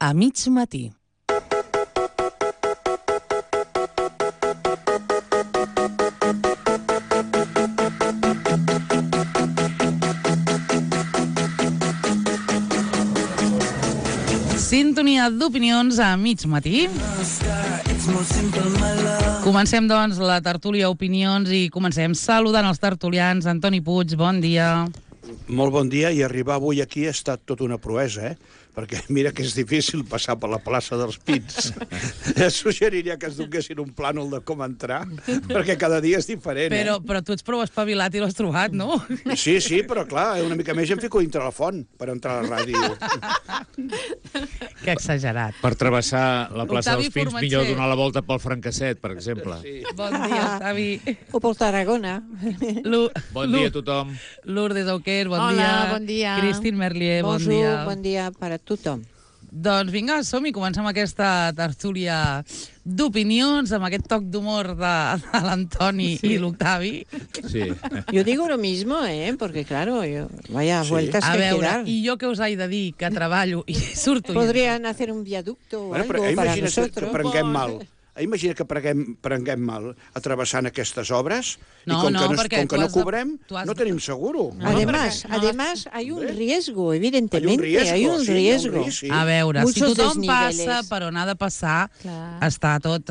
a mig matí. Sintonia d'opinions a mig matí. Comencem, doncs, la tertúlia opinions i comencem saludant els tertulians. Antoni Puig, bon dia. Molt bon dia, i arribar avui aquí ha estat tota una proesa, perquè mira que és difícil passar per la plaça dels Pins. Suggeriria que es donessin un plànol de com entrar, perquè cada dia és diferent. Però tu ets prou espavilat i l'has trobat, no? Sí, una mica una mica més em fico dintre la font per entrar a la ràdio. Que exagerat. Per travessar la plaça Octavi dels Pins, Formatger. millor donar la volta pel Francasset, per exemple. Sí. Bon dia, Octavi. O per Tarragona. Bon dia a tothom. Lourdes Auquer, bon Hola, dia. bon dia. Cristín Merlier, bon Bonjour, dia. bon dia per a tothom. Doncs vinga, som-hi, comencem aquesta tertúlia d'opinions amb aquest toc d'humor de l'Antoni i l'Octavi. Sí. Yo digo lo mismo, porque claro, vaya Sí. vueltas A que hay que veure, dar. i jo que us he de dir que treballo i surto... Podrían hacer un viaducto o Bueno, però algo para imagina que nosotros. prenguem mal. Imagina que prenguem mal atrevessant aquestes obres No, i com no, que perquè com que tu no has de- cobrem, tu has no de- tenim seguro. Además, hay un riesgo, evidentemente, Hay hay un riesgo. risc, sí. A veure, si Muchos tothom desniveles. passa per on ha de passar, Clar. està tot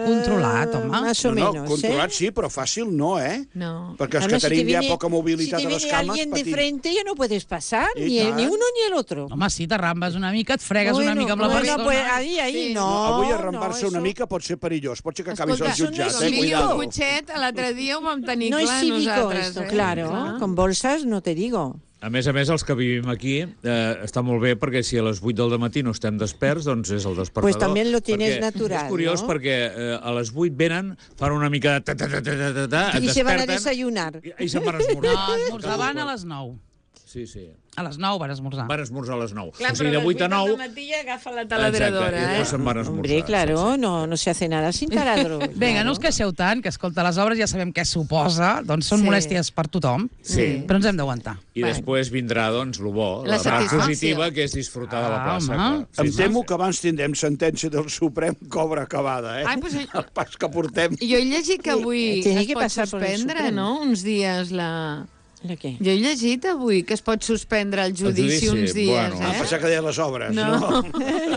controlat, home. Más o menos, controlat sí, però fàcil no, No. Perquè els Además, que si te tenim ja viene- poca mobilitat si a te les viene cames, alguien de patim. frente, ya no puedes pasar, I ni tant. uno ni el otro. Home, sí, t'arrambes una mica, et fregues una mica amb la persona. Pues ahí, Sí. no. Avui arrambar-se una eso- mica pot ser perillós, pot ser que acabis al Escolta, jutjat, això no és cuidado. L'Illo Cotxet, l'altre dia ho vam tenir No es clar cívico nosaltres. esto, claro. Con bolsas no te digo. A més, els que vivim aquí, està molt bé perquè si a les 8 del matí no estem desperts, doncs és el despertador. Pues también lo tienes Perquè natural, És curiós ¿no? perquè a les 8 venen, fan una mica de ta-ta-ta-ta-ta-ta, Y et se van a desperten desayunar. i se'n van a esmorzar. No, esmorzaven a les 9. Sí. A les 9 van esmorzar. Van esmorzar a les 9. Clar, O sigui, de 8 a 9... al matí ja agafa la taladradora, Exacte, i després se'n van a esmorzar. Hombre, claro, no se hace nada sin taladro. Vinga, no us queixeu tant, que escolta, les obres ja sabem què suposa, doncs són Sí. molèsties per tothom, Sí. però ens hem d'aguantar. I després vindrà, doncs, el bo, La la part satisfacció. positiva, que és disfrutar de la plaça. home. clar. Em temo que abans tindrem sentència del Suprem cobra acabada, Ai, pues, El pas que portem. jo he llegit que avui Tiene es que pot passar por el suspendre, Suprem. no?, uns dies la... ¿De qué? Jo he llegit avui que es pot suspendre el judici uns dies, bueno. Ah, pensava que deia les obres, no?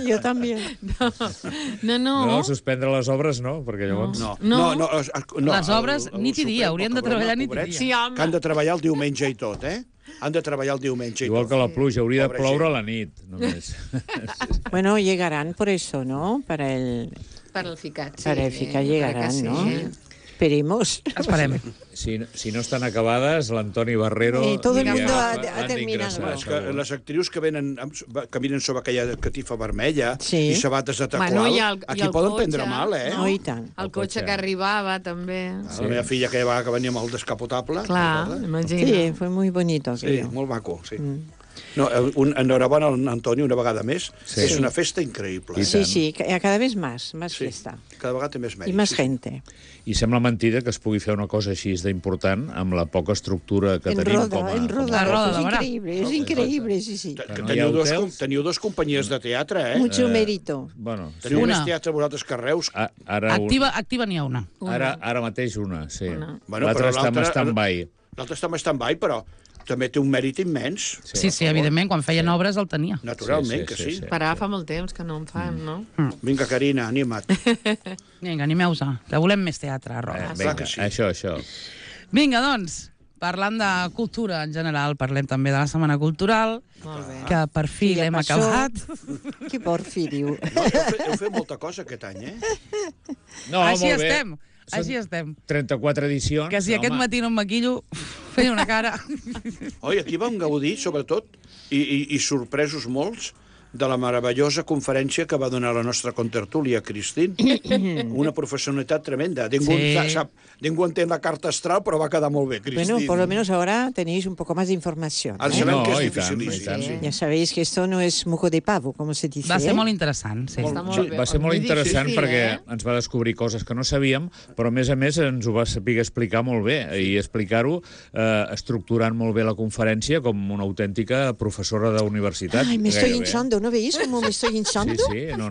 Yo también. No, suspendre les obres no, perquè llavors... No. Les obres nit i dia, haurien de treballar nit i dia. Sí, home. Que han de treballar el diumenge i tot, Han de treballar el diumenge i Igual tot. que la pluja, hauria de Pobra ploure a gent. la nit, només. Bueno, llegarán por eso, ¿no? Para el Ficat, sí. para el FICA llegarán, sí. ¿no? Esperemos. Esperem. Si no estan acabades, l'Antoni Barrero... Todo el diria mundo que ha han terminado. d'ingressar, És que segur. les actrius que caminen sobre aquella catifa vermella Sí. i sabates de tacual, Bueno, i el aquí cotxe. poden prendre mal, No, i tant. El cotxe que arribava, també. La meva filla que va que venia amb el descapotable. Clar, recorda? imagina. Sí, fue muy bonito Sí, aquello. molt maco, sí. No, enhorabona a Antoni una vegada més. Sí. És una festa increïble. I Sí, tant. sí, cada vez más Sí. fiesta. Cada vegada té més mèrit. Y más sí. gente. I sembla mentida que es pugui fer una cosa així d'important amb la poca estructura que En tenim roda, com a... en roda. La roda, Es la verdad. increíble, es increíble, sí, sí. Que no hi ha hotels? teniu dos companyies de teatre, Mucho mérito. Bueno, Teniu Una. més teatre vosaltres que Reus. ara, Activa n'hi ha una. ara mateix una, sí. Bueno, L'altra però està en l'altra- stand-by. L'altre està en stand-by, però també té un mèrit immens. Sí, evidentment, quan feien obres el tenia. Naturalment Sí, que sí, sí. sí. Parar fa molt temps que no en fan, no? Vinga, Carina, anima't. Vinga, animeu-se, que volem més teatre a Roda. clar Vinga, que sí. això. Vinga, doncs, parlant de cultura en general, parlem també de la Setmana Cultural, Molt bé. que per fi Sí, ja l'hem passó. acabat. Que porfi, diu. No, heu fet molta cosa aquest any, No, Així molt bé. estem, Són així estem. 34 edicions. Que si aquest home. matí no em maquillo, feia una cara. Oi, aquí vam gaudir, sobretot, i sorpresos molts, de la meravellosa conferència que va donar la nostra contertúlia, Cristín. Una professionalitat tremenda. Ningú entén la carta astral, però va quedar molt bé, Cristín. Bueno, por lo menos ahora tenéis un poco más de información. Ara ¿eh? sabem No, que és i tant, dificilíssim. i tant. Sí. Ya sabéis que esto no es moco de pavo, como se dice. Va ser ¿eh? molt interessant, sí. Està molt Sí, bé. va ser molt interessant difícil, perquè ens va descobrir coses que no sabíem, però a més ens ho va saber explicar molt bé i explicar-ho estructurant molt bé la conferència com una autèntica professora d'universitat. Ay, me estoy gairebé. hinchando hinchando, ¿no veis cómo me estoy hinchando? Sí, no.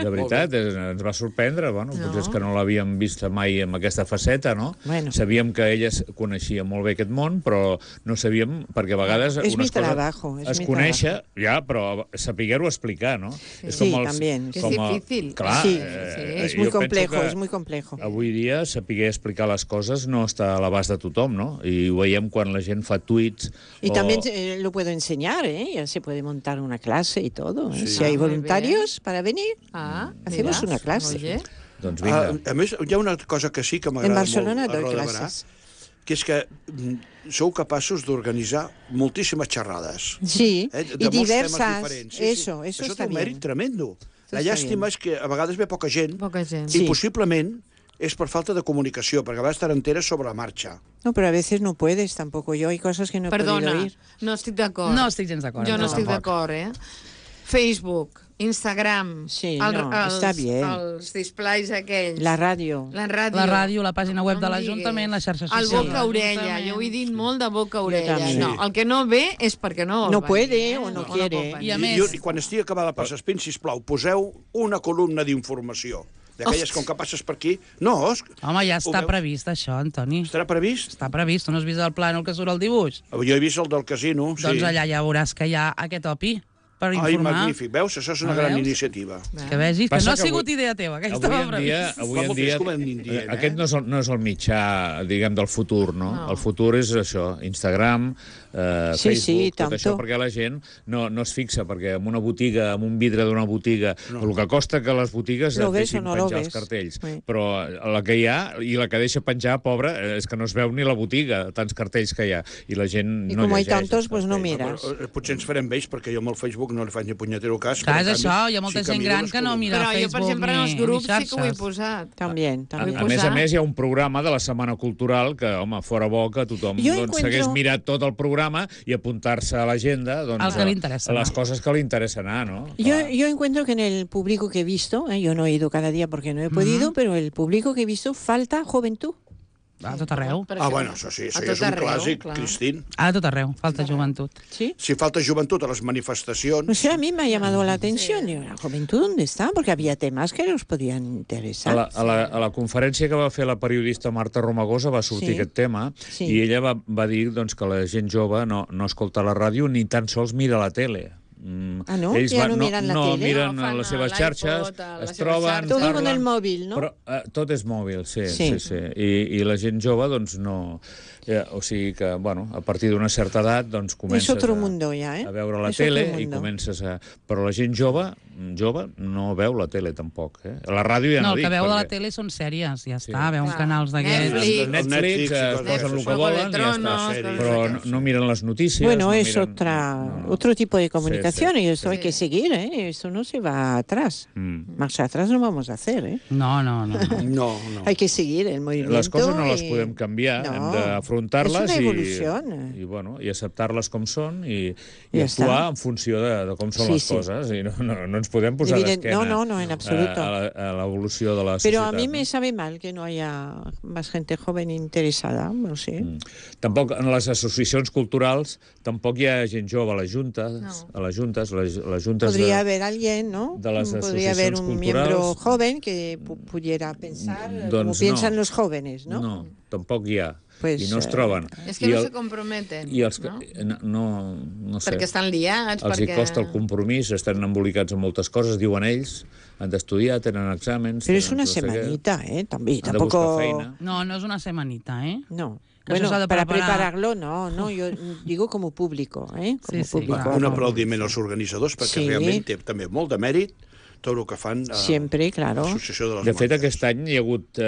De veritat, ens va sorprendre. Bueno, potser és que no l'havíem vist mai amb aquesta faceta, no? Bueno. Sabíem que ella coneixia molt bé aquest món, però no sabíem, perquè a vegades És mi unes coses trabajo, és es mi coneix, trabajo. ja, però saber-ho explicar, no? És Sí, también. Que és difícil. Clar, Sí, es es muy jo penso complejo, que es muy complejo. Avui dia, saber explicar les coses no està a l'abast de tothom, no? I ho veiem quan la gent fa tuits... Y también lo puedo enseñar, ¿eh? Ya se puede montar una clase y todo. ¿eh? Sí. Si hay Muy voluntarios para venir, hacemos una clase. Oye. Doncs vinga. A més, hi ha una cosa que sí que En m'agrada Barcelona molt a doy Roda de Barà, clases. que és que sou capaços d'organitzar moltíssimes xerrades. Sí, De y molts temes diversas. diferents. Eso Això está té un mèrit bien. tremendo. La està llàstima és que a vegades ve poca gent Poca gent. i Sí. possiblement és per falta de comunicació, perquè a vegades t'enteres sobre la marxa. No, pero a veces no puedes tampoco. Yo hay cosas que no he Perdona, podido ir. no estic d'acord. No estic gens d'acord. Jo no estic tampoc. d'acord, Facebook, Instagram, Sí, no, està bien. els displays aquells, La radio. la ràdio, La ràdio, la pàgina web no de em l'Ajuntament, diguis. les xarxes El socials. boca-orella, l'Ajuntament. jo ho he dit molt de boca-orella. també. No, el que no ve és perquè no vol No venir, puede o no quiere. pot venir. I a més- I quan estigui acabada la passa espín, sisplau, poseu una columna d'informació. D'aquelles, com que passes per aquí... No, Home, ja està veus? previst, això, Antoni. Estarà previst? Està previst. Tu no has vist el plànol que surt al dibuix? Jo he vist el del casino, sí. Doncs allà ja veuràs que hi ha aquest opi per Ai, informar. magnífic. Veus? Això és una Ah, gran veus? iniciativa. Que vegis que Passa no ha que sigut avui- idea teva, que Avui estava en previst. dia, Com anem dient, aquest no és el mitjà, diguem, del futur, no? El futur és això, Instagram, Sí, Facebook, sí, tot això, tanto. perquè la gent no es fixa, perquè en una botiga, en un vidre d'una botiga, el que costa que les botigues Lo et ves deixin o no lo penjar els ves. cartells. Sí. Però la que hi ha, i la que deixa penjar, pobra, és que no es veu ni la botiga, tants cartells que hi ha, i la gent Y no como hay llegeix. tantos, els pues no cartells. miras. Potser ens farem vells, perquè jo amb el Facebook no li faig ni punyetero cas. Clar, però, és en canvi, això, hi ha molta sí que gent miro gran les que no columnes. mira Però jo, per Facebook exemple, en els ni grups sí que ho he xarxes. posat. También, también. A més a més, hi ha un programa de la Setmana Cultural que, home, fora bo que tothom Jo doncs, encuentro- s'hagués mirat tot el programa i apuntar-se a l'agenda doncs, El que li interessa a les anar. coses que li interessa anar, no? Yo encuentro que en el público que he visto, yo no he ido cada día porque no he podido, pero el público que he visto falta juventud. A tot arreu. Bueno, això sí, A això tot ja és un arreu, clàssic, clar. Cristín. A tot arreu, falta joventut. ¿Sí? Si falta joventut a les No manifestacions... sé, a mí me ha llamado la atención. Digo, ¿la juventud dónde está? Porque había temas que nos podían interesar. A la conferència que va fer la periodista Marta Romagosa va sortir Sí. aquest tema Sí. i ella va dir doncs, que la gent jove no escolta la ràdio ni tan sols mira la tele. Ah, no? Ells Ja no miren la no tele? miren No, fan les seves l'iPod, xarxes, a les es seves troben, xarxes. Todo parlen, con el móvil, ¿no? Però tot és mòbil, sí. Sí. I la gent jove, doncs, no... o sigui que, bueno, a partir d'una certa edat, doncs, comences otro mundo ya, ¿eh? a veure la Es tele otro i mundo. comences a... Però la gent jove no veu la tele, tampoc. La ràdio ja No, no el dic. que veu de la perquè- tele són sèries, ja Sí. està, veuen Clar. canals d'aquests. Netflix. Netflix, i coses posen el que d'aquestes. volen i ja Juego de Tronos, està. sèries. Però no miren les notícies. Bueno, no es miren... otro tipo de comunicación y esto hay Sí. que seguir, ¿eh? Esto no se va atrás. Marcha atrás no vamos a hacer, ¿eh? No. No. Hay que seguir el movimiento. Les coses no les y- podem canviar, No, hem d'afrontar-les és una evolució. i acceptar-les com són i Ja actuar està. en funció de com són Sí, les sí. coses. I no ens podem posar Evident- d'esquena no, en absoluto. a l'evolució de la Pero societat. a mí me no? sabe mal que no haya más gente joven interesada, no sé. Tampoc en les associacions culturals tampoc hi ha gent jove a les juntes, les juntes Podría haver alguien, ¿no? de las Podría haber un asociacions miembro culturals. joven que pudiera pensar como Doncs piensan no. los jóvenes, ¿no? No, tampoc hi ha. Pues, I no es troben. És que no se comprometen, I els que, no? no sé. Perquè estan liats, Els perquè... hi costa el compromís, estan embolicats en moltes coses, diuen ells, han d'estudiar, tenen exàmens... Pero es tenen una no sé què, semanita, ¿eh? También, Han de buscar tampoco... feina. No és una semanita, eh? No. Que Bueno, això s'ha de para preparar. prepararlo, no, yo digo como público, ¿eh? Como Sí, sí, público. clar. Un no. aplaudiment als organitzadors, perquè Sí. realment té també molt de mèrit tot el que fan a Siempre, claro. l'Associació de les De fet, Monges. aquest any hi ha hagut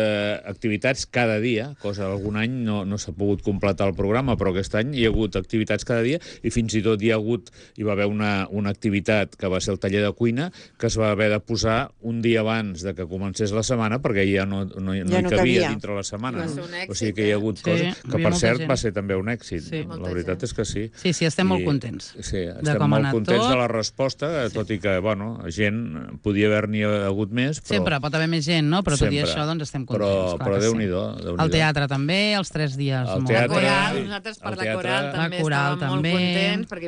activitats cada dia, cosa algun any no s'ha pogut completar el programa, però aquest any hi ha hagut activitats cada dia i fins i tot hi va haver una activitat que va ser el taller de cuina que es va haver de posar un dia abans de que comencés la setmana perquè ja no hi no cabia cabia. dintre la setmana. Va no? ser un èxit, O sigui que hi ha hagut Sí, coses hi que, havia per molta cert, gent. va ser també un èxit. Sí. La Molta veritat gent. és que sí. Sí, estem molt contents Sí, de estem com ha molt anat contents tot. de la resposta, tot i que, bueno, gent podia haver-n'hi hagut més, però... Sempre pot haver més gent, no? Però tot i això, doncs estem contents. Però Déu-n'hi-do. El teatre també, els 3 dies. La coral, nosaltres per la coral també estàvem molt contents, perquè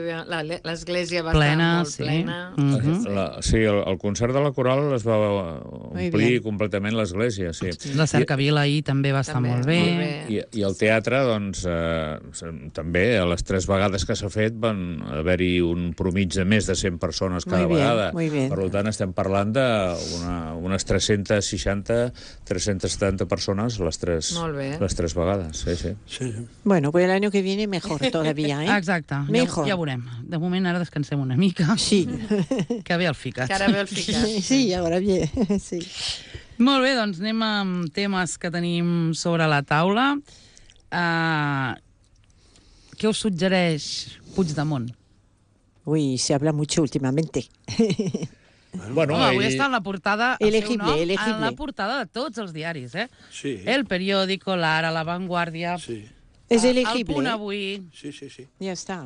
l'església va estar molt plena. Sí, el concert de la coral es va omplir completament l'església, sí. La cercavila ahir també va estar molt bé. I el teatre, doncs, també, a les 3 vegades que s'ha fet van haver-hi un promig de més de 100 persones cada vegada. Per tant, estem parlant d'unes 360, 370 persones les 3 vegades. Sí. Bueno, pues el año que viene mejor todavía, ¿eh? Exacte. Mejor. Ja veurem. De moment ara descansem una mica. Sí. Que ve el ficat. Que ara ve el ficat. Sí, ahora bien. Sí. Molt bé, doncs anem amb temes que tenim sobre la taula. Què us suggereix Puigdemont? Uy, se habla mucho últimamente. Bueno, avui està en la portada... Elegible. En la portada de tots els diaris, eh? Sí. El Periódico, l'Ara, La Vanguardia... Sí. Es elegible. El Punt Avui... Sí. Ja està.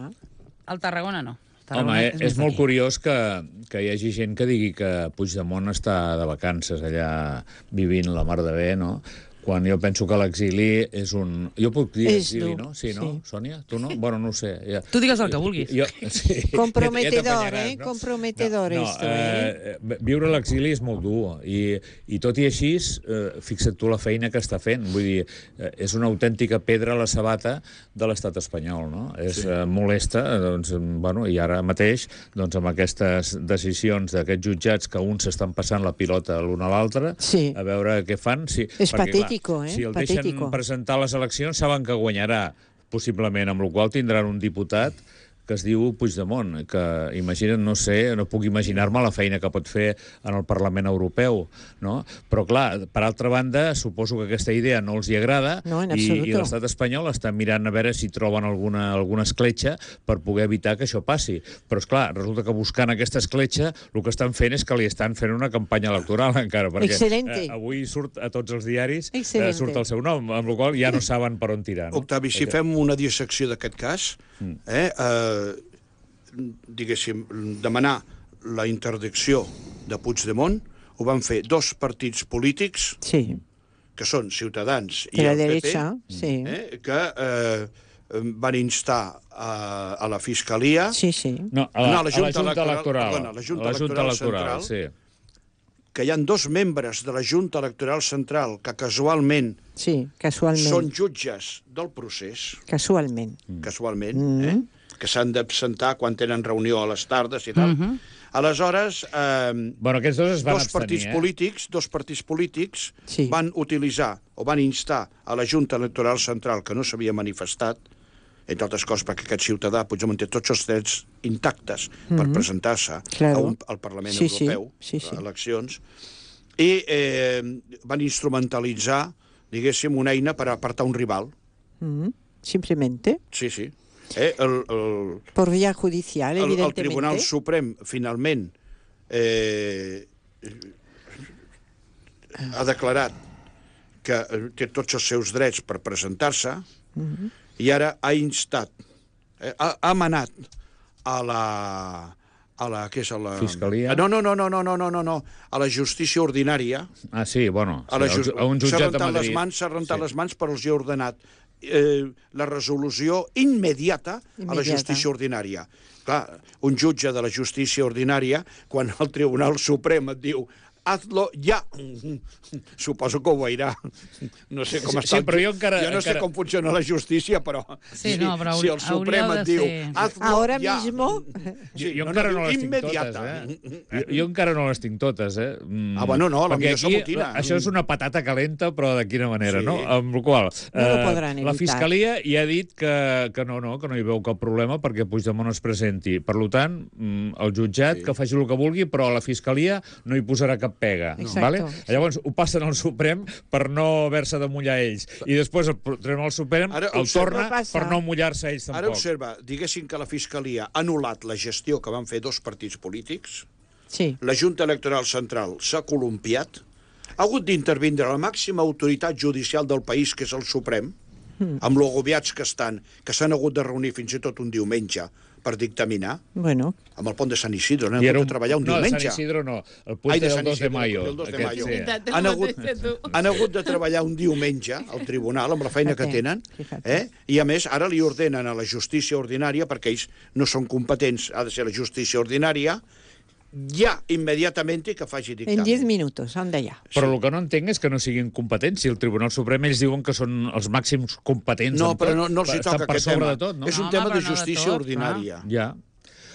El Tarragona no. Home, és molt curiós que hi hagi gent que digui que Puigdemont està de vacances allà vivint la mar de bé, no? Quan jo penso que l'exili és un... Jo puc dir exili, no? Sí, no? Sònia? Tu no? Bueno, no ho sé. Ja. Tu digues el que vulguis. Sí. Comprometedor, no? Comprometedor esto, Viure a l'exili és molt dur i tot i així, fixa't tu la feina que està fent. Vull dir, és una autèntica pedra a la sabata de l'estat espanyol, no? És molesta, doncs, bueno, i ara mateix, doncs, amb aquestes decisions d'aquests jutjats que uns s'estan passant la pilota l'un a l'altre, a veure què fan. És patètic. Si el deixen presentar les eleccions, saben que guanyarà, possiblement, amb la qual cosa tindran un diputat que es diu Puigdemont, que imagina't, no sé, no puc imaginar-me la feina que pot fer en el Parlament Europeu, no? Però, clar, per altra banda, suposo que aquesta idea no els hi agrada i l'estat espanyol està mirant a veure si troben alguna escletxa per poder evitar que això passi. Però, esclar, resulta que buscant aquesta escletxa el que estan fent és que li estan fent una campanya electoral encara, perquè avui surt a tots els diaris, surt el seu nom, amb la qual ja no saben per on tirar. Octavi, si fem una dissecció d'aquest cas, diguéssim, demanar la interdicció de Puigdemont ho van fer 2 partits polítics que són Ciutadans i el PP, que van instar a la Fiscalia a la Junta Electoral Central, que hi ha 2 membres de la Junta Electoral Central que casualment són jutges del procés. Casualment, que s'han d'absentar quan tenen reunió a les tardes i tal. Aleshores, aquests dos es van abstenir, dos partits polítics van utilitzar o van instar a la Junta Electoral Central, que no s'havia manifestat, entre altres coses perquè aquest ciutadà, Puigdemont, té tots els drets intactes per presentar-se al Parlament Europeu, a eleccions, i van instrumentalitzar, diguéssim, una eina per apartar un rival. Simplemente. Sí. Por vía judicial, evidentemente. El Tribunal Suprem, finalment, ha declarat que té tots els seus drets per presentar-se i ara ha instat, ha manat a la Fiscalia? No, a la justícia ordinària. A un jutjat de Madrid. S'ha rentat les mans, però els ha ordenat la resolució immediata a la justícia ordinària. Clar, un jutge de la justícia ordinària, quan el Tribunal Suprem et diu hazlo ya. Suposo que ho veurà. No sé com està. Jo no sé com funciona la justícia, però si el Suprem et diu hazlo ya... Jo encara no les tinc totes, Jo encara no les tinc totes, Bueno, no, la millor s'amotina. Això és una patata calenta, però de quina manera, no? Amb la qual la Fiscalia ja ha dit que no hi veu cap problema perquè Puigdemont es presenti. Per tant, el jutjat que faci el que vulgui, però la Fiscalia no hi posarà cap pega. Vale? Llavors ho passen al Suprem per no haver-se de mullar ells. I després el Tribunal Suprem el torna per no mullar-se ells tampoc. Ara observa, diguéssim que la Fiscalia ha anul·lat la gestió que van fer 2 partits polítics, la Junta Electoral Central s'ha columpiat, ha hagut d'intervindre la màxima autoritat judicial del país, que és el Suprem, amb lo agobiats que estan, que s'han hagut de reunir fins i tot un diumenge per dictaminar. Bueno. Amb el pont de Sant Isidro, no hem hagut de treballar un diumenge. No, Sant Isidro no, el puente del 2 de mayo. Han hagut de treballar un diumenge al tribunal amb la feina que tenen, i a més ara li ordenen a la justícia ordinària, perquè ells no són competents, ha de ser la justícia ordinària, ja, immediatament, que faci dictamen. En 10 minuts, anda ja. Però el que no entenc és que no siguin competents. Si el Tribunal Suprem ells diuen que són els màxims competents. No, però no els hi toca aquest tema. És un tema de justícia ordinària. Ja.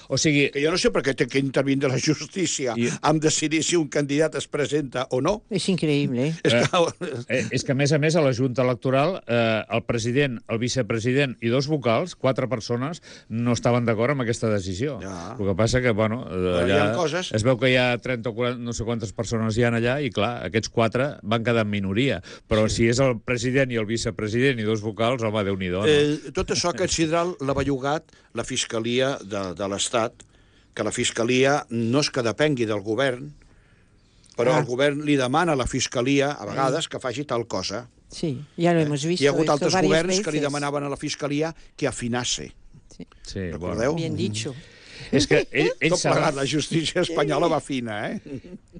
O sigui... Que jo no sé per què té que intervindre la justícia en decidir si un candidat es presenta o no. És increïble. És que, a més, a la Junta Electoral, el president, el vicepresident i 2 vocals, 4 persones, no estaven d'acord amb aquesta decisió. El que passa que, bueno, allà es veu que hi ha 30 o 40, no sé quantes persones hi ha allà, i clar, aquests 4 van quedar en minoria. Però si és el president i el vicepresident i 2 vocals, home, Déu-n'hi-do. Tot això, aquest sidral, l'ha bellugat la Fiscalia de l'Estat, que la Fiscalia no és que depengui del govern, però el govern li demana a la Fiscalia, a vegades, que faci tal cosa. Sí, ja lo hemos visto. Hi ha hagut altres governs que li demanaven a la Fiscalia que afinase. Sí, recordeu? Bien dicho. És que ells saben... La justícia espanyola va fina,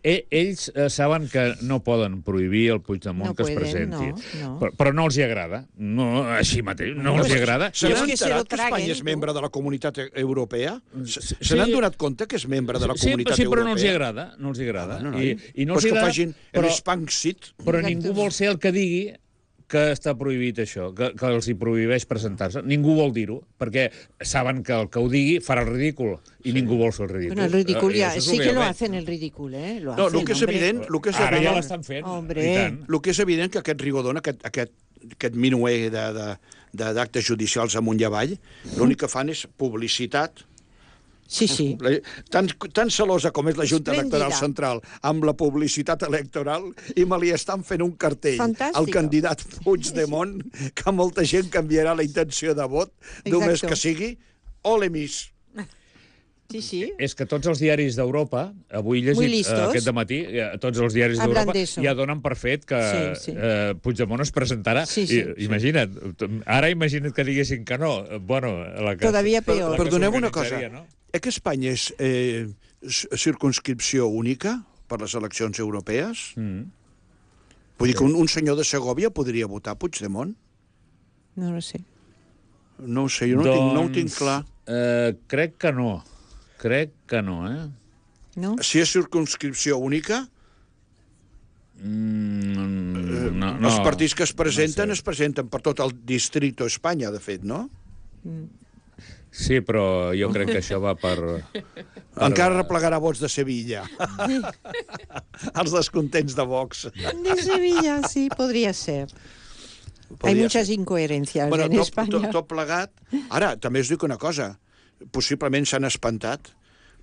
Ells saben que no poden prohibir el Puigdemont que es presenti. Però no els hi agrada. No, així mateix, no els hi agrada. Se n'han enterat que Espanya és membre de la Comunitat Europea? Se n'han donat compte que és membre de la Comunitat Europea? Sí, però no els hi agrada. No els hi agrada. I no els hi agrada, que facin l'Spanxit. Però ningú vol ser el que digui que està prohibit això, que els hi prohibeix presentar-se. Ningú vol dir-ho, perquè saben que el que ho digui farà el ridícul, i ningú vol fer el ridícul. Bueno, el ridícul ja, sí que lo hacen el ridícul, No, el que és evident... Ara ja l'estan fent. El que és evident que aquest Rigodon, aquest minuer d'actes judicials amunt i avall, l'únic que fan és publicitat. Sí, sí. Tan celosa com és la Junta Electoral Central amb la publicitat electoral, i me li estan fent un cartell al candidat Puigdemont, que molta gent canviarà la intenció de vot, només que sigui ole mis. Sí, sí. És que tots els diaris d'Europa, avui he llegit aquest dematí, tots els diaris d'Europa ja donen per fet que Puigdemont es presentarà. Imagina't, ara imagina't que diguessin que no. Todavía peor. Perdoneu una cosa, que Espanya és circunscripció única per les eleccions europees? Vull dir que un senyor de Segòvia podria votar Puigdemont? No ho sé. No ho sé, jo no ho tinc clar. Crec que no. Crec que no, No? Si és circunscripció única, els partits que es presenten per tot el distrito Espanya, de fet, no? Sí, però jo crec que això va per... Encara replegarà vots de Sevilla. Els descontents de Vox. De Sevilla, sí, podria ser. Hay muchas incoherencias en España. Tot plegat. Ara, també us dic una cosa. Possiblement s'han espantat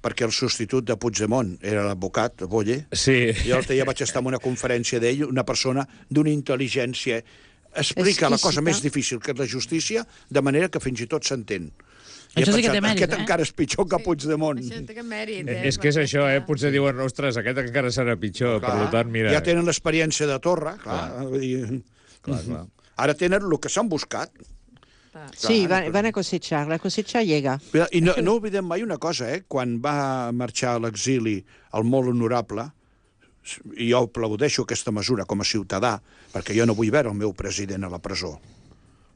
perquè el substitut de Puigdemont era l'advocat Boye. Sí. Jo l'altre dia vaig estar en una conferència d'ell, una persona d'una intel·ligència. Explica la cosa més difícil que és la justícia, de manera que fins i tot s'entén. Això sí que té mèrit, Aquest encara és pitjor que Puigdemont. Això té mèrit, És que és això, potser diuen, ostres, aquest encara serà pitjor, per tant, mira... Ja tenen l'experiència de Torra, clar. Ara tenen el que s'han buscat. Sí, van a cosechar, la cosecha llega. I no oblidem mai una cosa, quan va marxar a l'exili el molt honorable, i jo aplaudeixo aquesta mesura com a ciutadà, perquè jo no vull veure el meu president a la presó.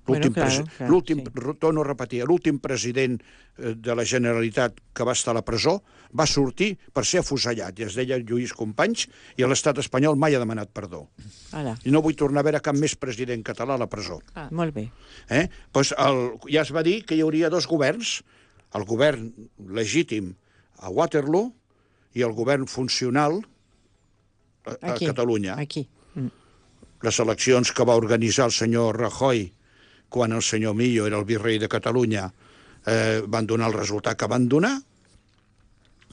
Torno a repetir, l'últim president de la Generalitat que va estar a la presó va sortir per ser afusellat, i es deia Lluís Companys, i l'estat espanyol mai ha demanat perdó. I no vull tornar a veure cap més president català a la presó. Molt bé. Ja es va dir que hi hauria 2 governs, el govern legítim a Waterloo i el govern funcional a Catalunya. Les eleccions que va organitzar el senyor Rajoy quan el senyor Millo era el virrei de Catalunya, van donar el resultat que van donar,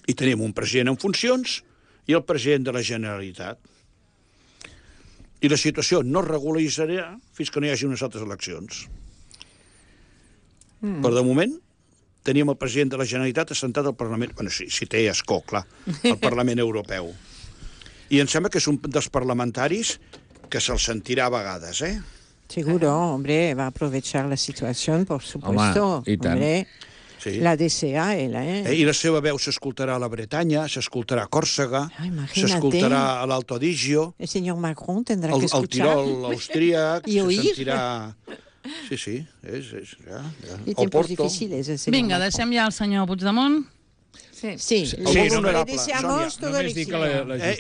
i tenim un president en funcions i el president de la Generalitat. I la situació no es regularitzarà fins que no hi hagi unes altres eleccions. Per de moment, tenim el president de la Generalitat assentat al Parlament... Bueno, si té escó, clar, al Parlament Europeu. I em sembla que és un dels parlamentaris que se'l sentirà a vegades, Seguro, hombre, va a aprovechar la situación, por supuesto. Home, i tant. Hombre. La DCA, I la seva veu s'escoltarà a la Bretanya, s'escoltarà a Còrsega, s'escoltarà a l'Alto Adigio, el senyor Macron tendrá que escuchar. El Tirol austríac, se sentirà... Sí, I tiempos difíciles, el senyor Vinga, deixem ja el senyor Puigdemont. Sí, honorable, le deseamos todo el éxito.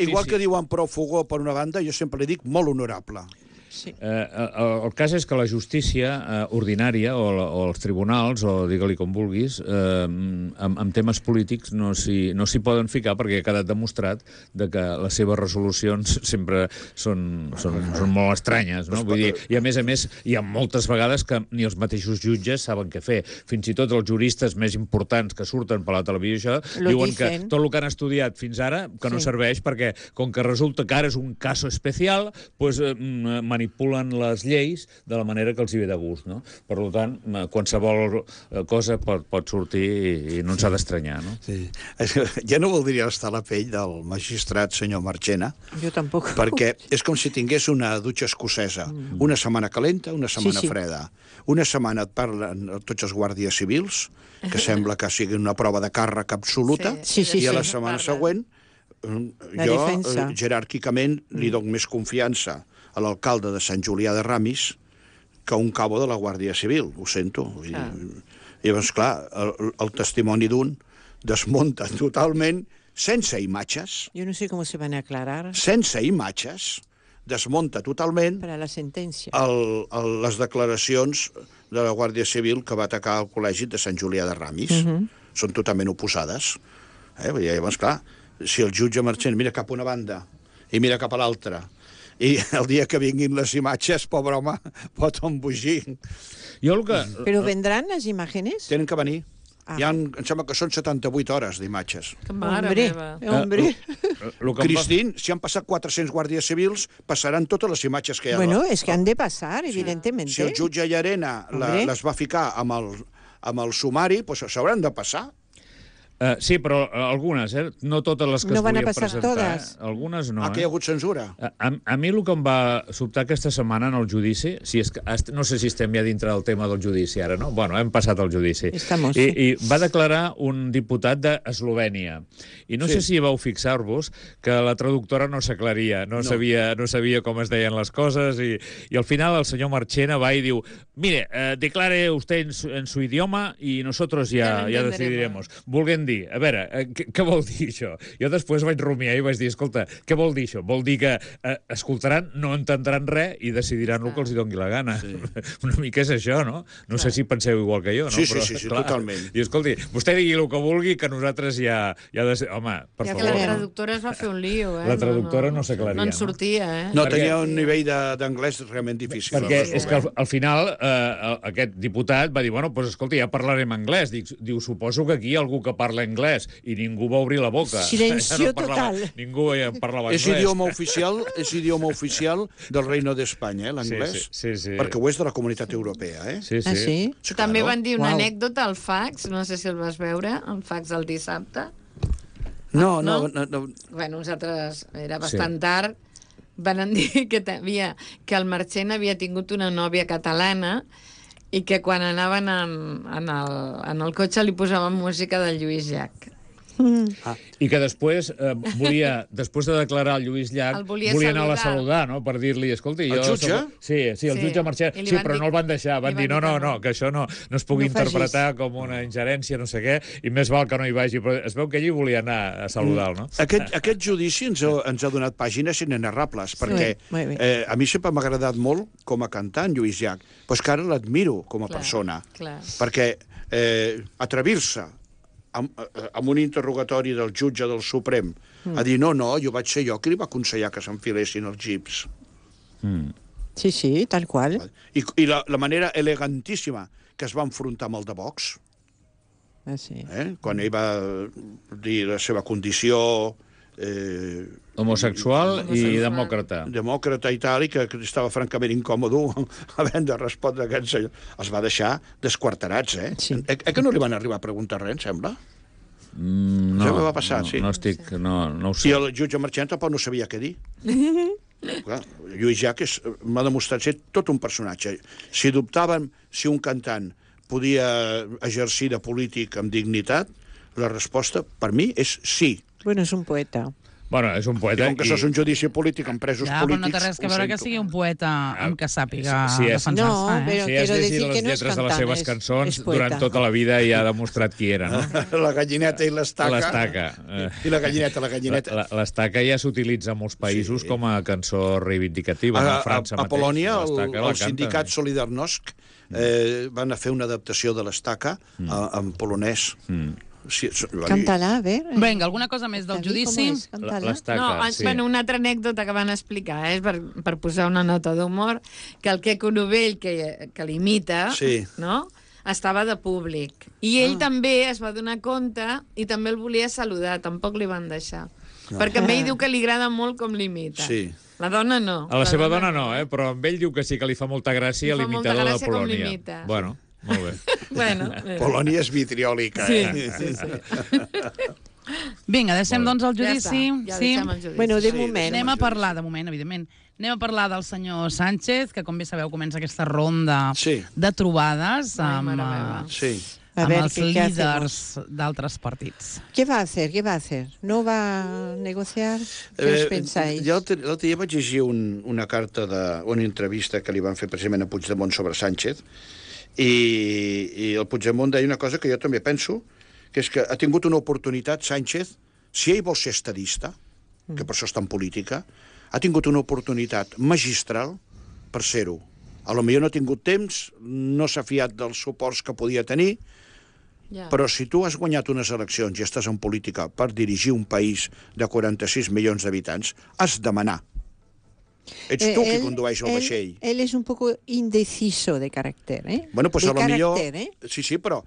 Igual que diuen prou fogó per una banda, jo sempre li dic molt honorable. El cas és que la justícia ordinària o els tribunals, o digue-li com vulguis, amb temes polítics no s'hi poden ficar perquè ha quedat demostrat que les seves resolucions sempre són molt estranyes, no? Vull dir, i a més hi ha moltes vegades que ni els mateixos jutges saben què fer. Fins i tot els juristes més importants que surten per la televisió diuen que tot el que han estudiat fins ara que no serveix perquè, com que resulta que ara és un cas especial, doncs manipulen les lleis de la manera que els hi ve de gust, no? Per tant, qualsevol cosa pot sortir i no ens ha d'estranyar, no? Sí. Ja no voldria estar a la pell del magistrat senyor Marchena. Jo tampoc. Perquè és com si tingués una dutxa escocesa. Una setmana calenta, una setmana freda. Una setmana et parlen tots els guàrdies civils, que sembla que sigui una prova de càrrec absoluta, i a la setmana següent jo, jeràrquicament, li dono més confiança a l'alcalde de Sant Julià de Ramis que un cabo de la Guàrdia Civil, ho sento. I llavors, clar, el testimoni d'un desmunta totalment, sense imatges. Jo no sé com se van a aclarar. Sense imatges, desmunta totalment per a la sentència les declaracions de la Guàrdia Civil que va atacar el col·legi de Sant Julià de Ramis. Són totalment oposades. Llavors, clar, si el jutge Marchena mira cap a una banda i mira cap a l'altra, i el dia que vinguin les imatges, pobre home, pot embogir. Però vendran les imatges? Tenen que venir. Em sembla que són 78 hores d'imatges. Que mare meva. Cristín, si han passat 400 guàrdies civils, passaran totes les imatges que hi ha. Bueno, és que han de passar, evidentment. Si el jutge Llarena les va ficar amb el sumari, doncs s'hauran de passar. Sí, però algunes, no totes les que es volien presentar. No van a passar totes. Algunes no. Aquí hi ha hagut censura. A mi el que em va sobtar aquesta setmana en el judici, no sé si estem ja dintre del tema del judici ara, no? Bueno, hem passat el judici. I va declarar un diputat d'Eslovènia. I no sé si vau fixar-vos que la traductora no s'aclaria, no sabia com es deien les coses, i al final el senyor Marchena va i diu: mire, declare usted en su idioma y nosotros ya decidiremos. Volguem dir, a veure, què vol dir això? Jo després vaig rumiar i vaig dir, escolta, què vol dir això? Vol dir que escoltaran, no entendran res i decidiran el que els doni la gana. Una mica és això, no? No sé si penseu igual que jo, no? Sí, totalment. I escolti, vostè digui el que vulgui, que nosaltres ja home, per favor. La traductora es va fer un lío, La traductora no s'aclaria. No en sortia, No, tenia un nivell d'anglès realment difícil. Perquè és que al final aquest diputat va dir, bueno, doncs escolta, ja parlarem anglès. Diu, suposo que aquí hi ha algú que parla anglès, i ningú va obrir la boca. Silencio total. Ningú parlava anglès. És idioma oficial del Reino d'Espanya, l'anglès. Sí. Perquè ho és de la Comunitat Europea, Sí. També van dir una anècdota al fax, no sé si el vas veure, el fax del dissabte. No. Bueno, nosaltres, era bastant tard, van dir que el Marchena havia tingut una nòvia catalana i que quan anaven en el cotxe li posaven música del Lluís Llach. I que després després de declarar el Lluís Llach, volia anar a saludar, no? Per dir-li, escolti... El jutge? Sí, el jutge Marchena. Sí, però no el van deixar. Van dir, no, que això no es pugui interpretar com una ingerència, no sé què, i més val que no hi vagi. Però es veu que allí volia anar a saludar, no? Aquest judici ens ha donat pàgines inenarrables, perquè a mi sempre m'ha agradat molt com a cantant, Lluís Llach, però és que ara l'admiro com a persona, perquè atrevir-se amb un interrogatori del jutge del Suprem a dir no, jo vaig ser jo qui li va aconsellar que s'enfilessin els jeeps. Sí, tal qual. I la manera elegantíssima que es va enfrontar amb el de Vox, quan ell va dir la seva condició homosexual i demòcrata. Demòcrata i tal, i que estava francament incòmode havent de respondre a aquest senyor. Els va deixar desquarterats, que no li van arribar a preguntar res, em sembla? No, això va passar, sí. No ho sé. I el jutge Marchena tampoc no sabia què dir. Lluís Llach m'ha demostrat ser tot un personatge. Si dubtaven si un cantant podia exercir de polític amb dignitat? La resposta, per mi, és sí. Bueno, és un poeta. Bueno, és un I poeta... com que això és un judici polític amb presos Ja, però polítics... no té res que veure que sigui un poeta amb que sàpiga Sí, defensar-se, No, eh? però Si has quiero llegit decir les que no és lletres de les cantant, seves cançons, és poeta. durant tota la vida ja ha demostrat qui era, no? La gallineta i l'estaca. L'estaca. I la gallineta. L'estaca ja s'utilitza a molts països com a cançó reivindicativa. A França A Polònia, l'estaca la el canten. sindicat Solidarnosc van a fer una adaptació de l'estaca en polonès. Sí, Cántala, a ver. Vinga, alguna cosa més del judici? L'estaca, No, sí. bueno, una altra anècdota que van explicar, per posar una nota d'humor, que el Queco Novell, que l'imita, Sí. no?, estava de públic. I ell també es va donar compte i també el volia saludar, tampoc li van deixar. Perquè a ell diu que li agrada molt com l'imita. Sí. La dona no. A la seva dona no, però amb ell diu que sí que li fa molta gràcia Li fa molta l'imitador de gràcia com Polònia. l'imita. Bueno, molt bé. Bueno, Polònia és vitriòlica, sí, eh? sí, sí. Vinga, deixem doncs el Ja judici. està, ja deixem el judici. Bueno, de Sí, moment. Anem a parlar, de moment, evidentment, anem a parlar del senyor Sánchez, que com bé sabeu comença aquesta ronda Sí. de trobades Ai, amb, mare meva. Sí. A amb ver, els ¿qué líders d'altres partits. ¿Qué va a hacer? ¿Qué va a hacer? ¿No va a negociar? ¿Qué os pensáis? Jo l'altre dia vaig llegir una carta una entrevista que li van fer precisament a Puigdemont sobre Sánchez i el Puigdemont deia una cosa que jo també penso, que és que ha tingut una oportunitat Sánchez, si ell vol ser estadista, que per això està en política, ha tingut una oportunitat magistral per ser-ho. A lo millor no ha tingut temps, no s'ha fiat dels suports que podia tenir, Ja. però si tu has guanyat unes eleccions i estàs en política per dirigir un país de 46 milions d'habitants, has de manar. Ets tu qui condueix el vaixell. Él es un poco indeciso de carácter, ¿eh? Bueno, pues de a lo millor... carácter, ¿eh? Sí, però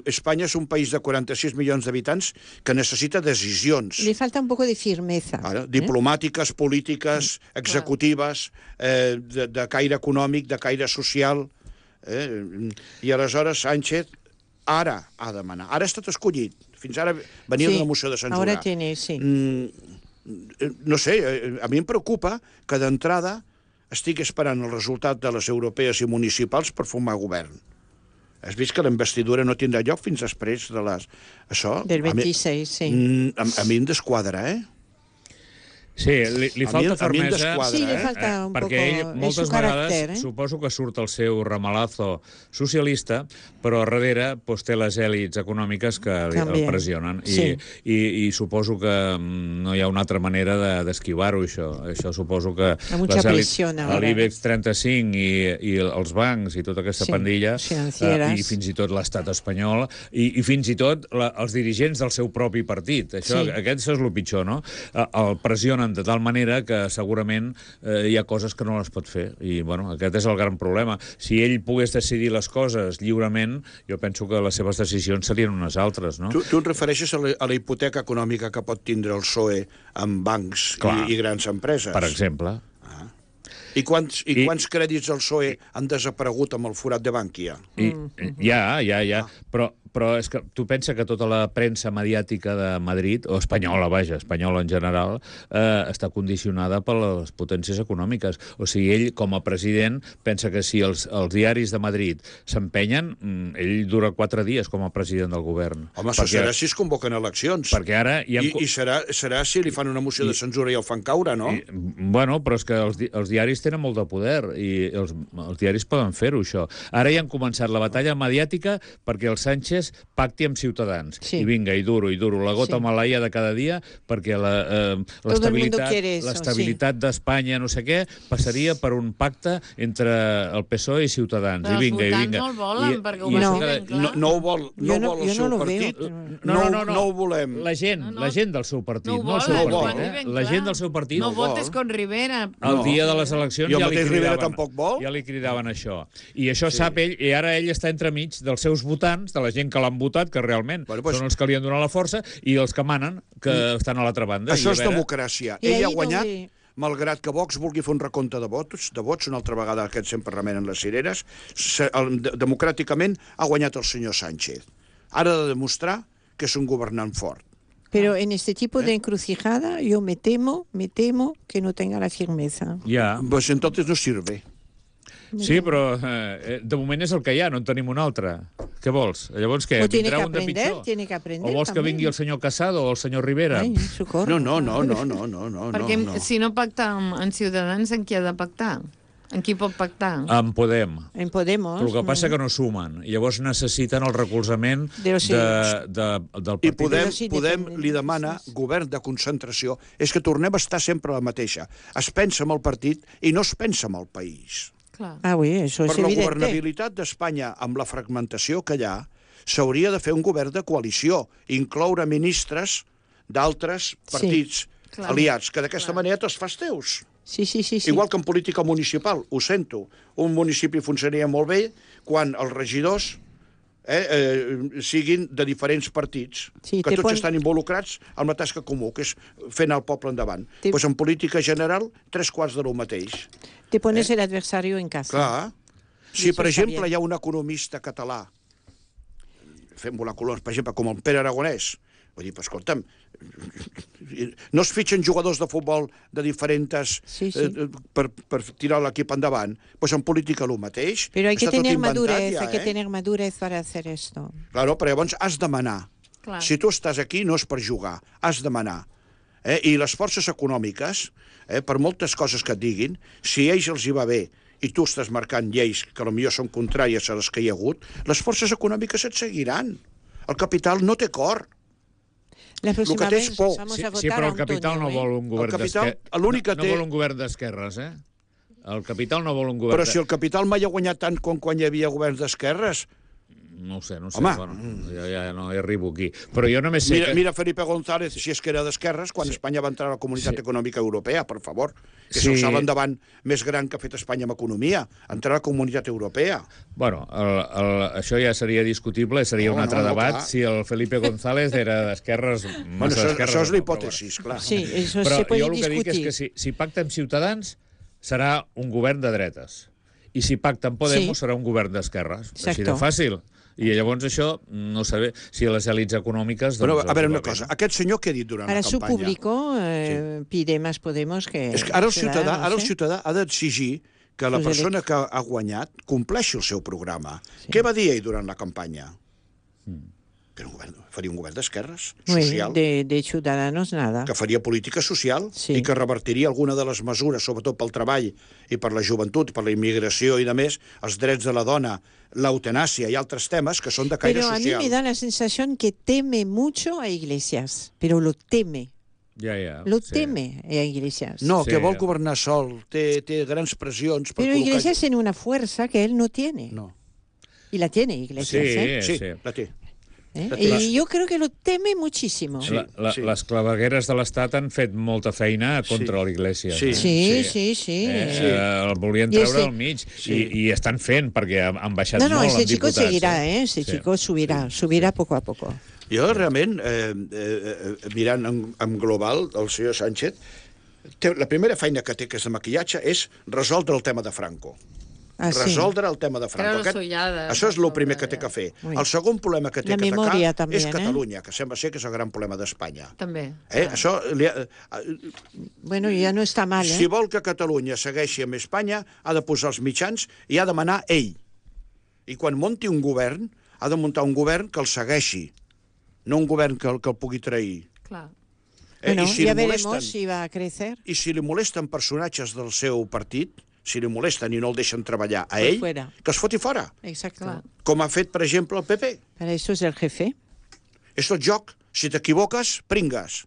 Espanya és un país de 46 milions d'habitants que necessita decisions. Le falta un poco de firmeza. Ara, diplomàtiques, polítiques, executives, de caire econòmic, de caire social. I aleshores Sánchez ara ha de manar. Ara ha estat escollit. Fins ara venia Sí, d'una moció de censura. ahora tiene, sí. No sé, a mi em preocupa que d'entrada estigui esperant el resultat de les europees i municipals per formar govern. Has vist que la investidura no tindrà lloc fins després de les... Això... Del 26, sí. A mi em desquadra, eh? Sí, li falta a mi em fermesa... desquadra, Sí, le falta un perquè poco... ell es moltes su carácter, vegades ¿eh? suposo que surt el seu ramalazo socialista, però a darrere té les èlits econòmiques que el També. pressionen. Sí. I suposo que no hi ha una altra manera d'esquivar-ho, això. Això suposo que mucha les èlits, presión ahora. l'IBEX 35 i els bancs i tota aquesta Sí, pandilla, financieres. i fins i tot l'estat espanyol, i fins i tot els dirigents del seu propi partit. Això, Sí. Això és el pitjor, no? El pressionen de tal manera que segurament hi ha coses que no les pot fer. I, bueno, aquest és el gran problema. Si ell pogués decidir les coses lliurement, jo penso que les seves decisions serien unes altres, no? Tu et refereixes a la hipoteca econòmica que pot tindre el PSOE amb bancs i grans empreses? Per exemple. I quants crèdits del PSOE han desaparegut amb el forat de Bànquia? Ja. Però és que tu pensa que tota la premsa mediàtica de Madrid, o espanyola, vaja, espanyola en general, està condicionada per les potències econòmiques. O sigui, ell, com a president, pensa que si els diaris de Madrid s'empenyen, ell dura 4 dies com a president del govern. Home, això serà si es convoquen eleccions. Perquè ara... I serà si li fan una moció de censura i el fan caure, no? Bueno, però és que els diaris tenen molt de poder i els diaris poden fer-ho, això. Ara ja han començat la batalla mediàtica perquè el Sánchez pacti amb Ciutadans. Sí. I vinga, i duro, la gota malaia de cada dia, perquè l'estabilitat d'Espanya, no sé què, passaria per un pacte entre el PSOE i Ciutadans. Però I vinga, els i votants vinga. no el volen, perquè ho I va això dir cada- ben clar. No ho vol el seu partit? No ho volem. La gent del seu partit, No ho no el seu volen, ho partit. van dir ben La clar. gent del seu partit... No ho vol. votes con Rivera. El dia de les eleccions I el ja li mateix Rivera cridaven, tampoc vol? ja li cridaven això. I això sap ell, i ara ell està entremig dels seus votants, de la gent que l'han votat, que realment són els que li han donat la força, i els que manen, que estan a l'altra banda. Això I a és veure- democràcia. I Ell ahí ha guanyat, donde- malgrat que Vox vulgui fer un recompte de vots, una altra vegada aquest sempre remenen les cireres, democràticament ha guanyat el senyor Sánchez. Ara ha de demostrar que és un governant fort. Pero en este tipo de encrucijada yo me temo que no tenga la firmeza. Ja. Pues entonces no sirve. Sí, però de moment és el que hi ha, no en tenim un altre. Què vols? Llavors què? O tiene Vindrà que un de aprender, pitjor? tiene que aprender O vols que també. vingui el senyor Casado o el senyor Rivera? Ai, socorro. No. Perquè si no pacta amb Ciutadans, en qui ha de pactar? En qui pot pactar? En Podem. En Podemos. Però el que passa que no sumen. I llavors necessiten el recolzament Però sí. del I partit. Però sí, Podem depèn. li demana govern de concentració. És que tornem a estar sempre la mateixa. Es pensa en el partit i no es pensa en el país. Clar. Ah, oui, això Per és la evident. governabilitat d'Espanya, amb la fragmentació que hi ha, s'hauria de fer un govern de coalició, incloure ministres d'altres partits Clar. aliats, que d'aquesta manera te'ls fas teus. Sí. Igual que en política municipal, ho sento. Un municipi funcionaria molt bé quan els regidors siguin de diferents partits, Sí, que tots estan involucrats en la tasca comú, que és fer anar el poble endavant. Doncs en política general, 3/4 de lo mateix. Te pones el adversario en casa. Clar. Si, això per està exemple, bien. hi ha un economista català, fem volar colons, per exemple, com el Pere Aragonès, vull dir, però escolta'm, no es fitxen jugadors de futbol de diferents Sí. per tirar l'equip endavant, doncs en política el mateix. Pero hay que Està tot tener inventat madurez, ja, hay que tener madurez para hacer esto. Claro, però llavors has de manar. Clar. Si tu estàs aquí no és per jugar, has de manar. I les forces econòmiques, per moltes coses que et diguin, si a ells els hi va bé i tu estàs marcant lleis que potser són contràries a les que hi ha hagut, les forces econòmiques et seguiran. El capital no té cor. La próxima que té és vez por. vamos Sí, a votar sí, però a el capital Antonio, no vol un govern capital, d'esquerres. l'únic que no té- vol un govern d'esquerres, El capital no vol un govern Però si el capital mai ha guanyat tant com quan hi havia governs d'esquerres. No ho sé. Home. Bueno, ja no hi arribo aquí. Però jo només sé Mira Felipe González, si és que era d'esquerres, quan Espanya va entrar a la Comunitat Econòmica Europea, per favor. Que és el salt endavant més gran que ha fet Espanya amb economia, entrar a la Comunitat Europea. Bueno, això ja seria discutible, seria un altre debat, clar. si el Felipe González era d'esquerres, Bueno, massa d'esquerres. això és o no, l'hipòtesis, clar. Sí, eso Però se puede jo el que dic discutir. és que si pacta amb Ciutadans serà un govern de dretes. I si pacta amb Podemos Sí. serà un govern d'esquerres. Així de Exacto. fàcil. I llavors això, no sé si a les èlits econòmiques... Però, doncs, a veure els una va bé, cosa, no? aquest senyor què ha dit durant Para la su campanya? público pide más Podemos que És que ara el Ciudadanos, ciutadà ha d'exigir que la Sus persona que ha guanyat compleixi el seu programa. Què va dir ell durant la campanya? Que faria un govern d'esquerres, Muy social, bien, de Ciudadanos nada. que faria política social Sí. i que revertiria alguna de les mesures, sobretot pel treball i per la joventut, per la immigració i de més, els drets de la dona, l'eutanàsia i altres temes que són de caire Pero a mí social. me da la sensación que teme mucho a Iglesias, pero lo teme. Ja, Lo sí. teme a Iglesias. No, Sí. que vol governar sol, té grans pressions per Pero col·locar... Iglesias tiene una fuerza que él no tiene. No. Y la tiene Iglesias, ¿eh? Sí, Sí. la té. Y yo creo que lo teme muchísimo. Sí. Les clavegueres de l'Estat han fet molta feina contra l'Iglesias. Sí. Sí. El volien I treure ese- al mig i estan fent perquè han baixat No, molt ese en chico diputats. seguirá, ¿eh? Ese Sí. chico subirá poco a poco. Jo realment, mirant en global, el senyor Sánchez, la primera feina que té, que és de maquillatge, és resoldre el tema de Franco. Ah, sí. Resoldre el tema de Franco. Treure l'ullada. Això és el primer que té que fer. Ui. El segon problema que té La que memòria, atacar també, és Catalunya, que sembla ser que és el gran problema d'Espanya. També. Això Bueno, ya no está mal, ¿eh? si vol que Catalunya segueixi amb Espanya, ha de posar els mitjans i ha de manar ell. I quan munti un govern, ha de muntar un govern que el segueixi, no un govern que el pugui trair. Clar. Bueno, I si ya li veremos molesten, si va a crecer. i si li molesten personatges del seu partit, si li molesten i no el deixen treballar a Pues ell, fuera. que es foti fora. Exacto. Clar. Com ha fet, per exemple, el PP. Para eso es el jefe. És tot joc. Si t'equivoques, pringues.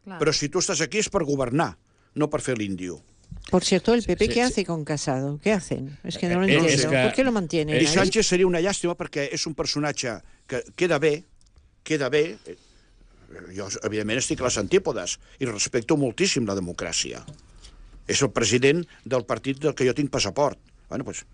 Clar. Però si tu estàs aquí és per governar, no per fer l'índio. Por cierto, el PP, sí, ¿qué sí. hace con Casado? ¿Qué hacen? Es que no lo Es entiendo. que- ¿Por qué lo mantienen? I ahí? Sánchez seria una llàstima perquè és un personatge que queda bé. Jo, evidentment, estic a les antípodes i respecto moltíssim la democràcia. És el president del partit del que jo tinc passaport. Bueno, doncs,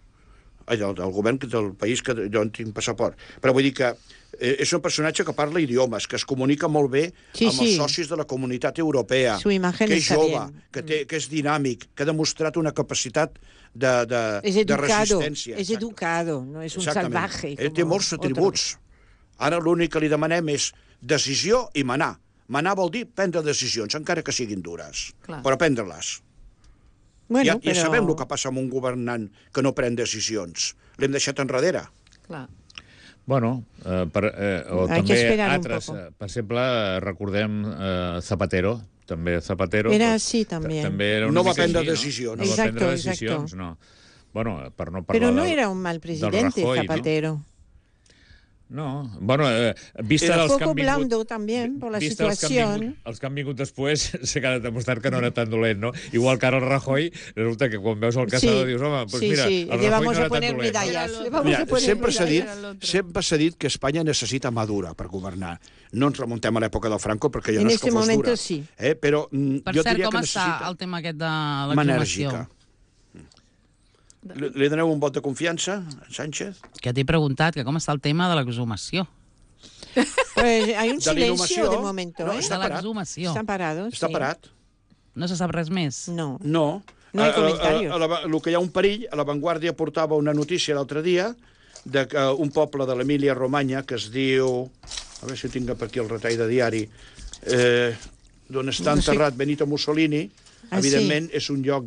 del govern del país que jo en tinc passaport. Però vull dir que és un personatge que parla idiomes, que es comunica molt bé Sí, amb els sí. socis de la comunitat europea, Su imagen que és está jove, bien. que és dinàmic, que ha demostrat una capacitat de Es educado, resistència. es Exacte. educado, no es un Exactament. salvaje. Ell té como molts otros. atributs. Ara l'únic que li demanem és decisió i manar. Manar vol dir prendre decisions, encara que siguin dures, Clar. però prendre-les. Bueno, ja sabem el que passa amb un governant que no pren decisions. L'hem deixat enrere. Clar. Bueno, o Hay que també esperar un altres. poco. Per exemple, recordem Zapatero. També Zapatero. Era así también. També era una No va mica prendre així, decisions. No va Exacto, prendre decisions, exacto. no. Bueno, per no parlar Pero no del- era un mal presidente, Rajoy, Zapatero. No, bueno, vista Era dels Un que poco han vingut... blando también por la vista situación. els que han vingut després, s'ha quedat demostrat que no era tan dolent, no? Igual que ara el Rajoy, resulta que quan veus el caçador dius, home, doncs mira, el Rajoy le no vamos era a poner tan dolent. medallas. No? Le vamos Mira, a poner sempre s'ha dit, medallas. sempre s'ha dit que Espanya necessita mà dura per governar. No ens remuntem a l'època del Franco, perquè ja En no és este que fos momento dura. sí. Però Per jo cert, diria com que està necessita el tema aquest de mà l'exhumació? enèrgica. Li doneu un vot de confiança, Sánchez? Que t'he preguntat que com està el tema de l'exhumació. Pues hay un De silencio l'inhumació, de momento, no, ¿eh? està De parat. l'exhumació. Están parados. Està sí. parat? No se sap res més? No. No. No hi ha comentaris. El que hi ha un perill, a La Vanguardia portava una notícia l'altre dia de que un poble de l'Emília-Romanya que es diu... A veure si tinc per aquí el retall de diari, d'on està No sé. enterrat Benito Mussolini, Ah, evidentment és un lloc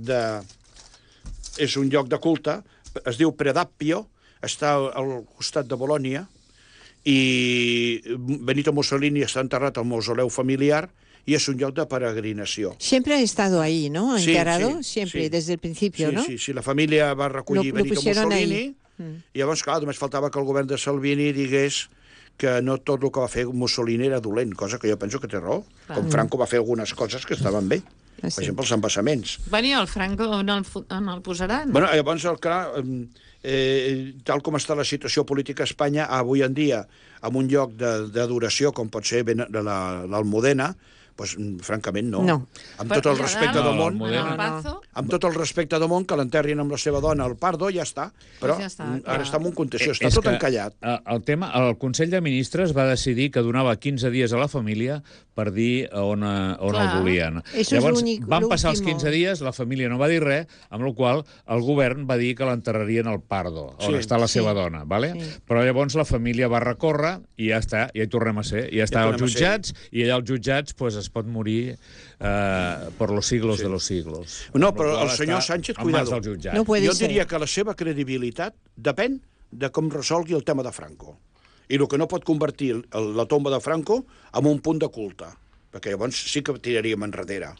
de culte, es diu Predappio, està al costat de Bolònia, i Benito Mussolini està enterrat al mausoleu familiar i és un lloc de peregrinació. Siempre ha estado ahí, ¿no? Sí, Enterrado, sí, siempre, sí. desde el principio, Sí, ¿no? sí, la família va recollir Lo Benito pusieron Mussolini, ahí. i llavors, clar, només faltava que el govern de Salvini digués que no tot el que va fer Mussolini era dolent, cosa que jo penso que té raó. Com Franco va fer algunes coses que estaven bé. Ah, sí. Per exemple, els embassaments. Bueno, i el Franco on el posaran? Bueno, llavors, clar, tal com està la situació política a Espanya, avui en dia, en un lloc d'adoració, com pot ser l'Almudena, doncs, francament, no. No. Amb tot el respecte del món, Almudena. amb tot el respecte del món, que l'enterrin amb la seva dona al Pardo, ja està. Però ja està, ara clar. està en un conteció, està És tot que, encallat. El Consell de Ministres va decidir que donava 15 dies a la família per dir on el Clar. volien. Eso es Llavors, l'únic- van passar els l'último. 15 dies, la família no va dir res, amb la qual el govern va dir que l'enterrarien al Pardo, on Sí. està la seva Sí. dona, ¿vale? Sí. Però llavors la família va recórrer i ja està, ja hi tornem a ser. Ja està als tornem a ser. jutjats i allà als jutjats pues, es pot morir por los siglos de los siglos. No, Amb la però qual el senyor està Sánchez, en mans cuidado. dels jutjats. No puede Jo ser. diria que la seva credibilitat depèn de com resolgui el tema de Franco. I el que no pot convertir la tomba de Franco en un punt de culte, perquè llavors sí que tiraríem enrere.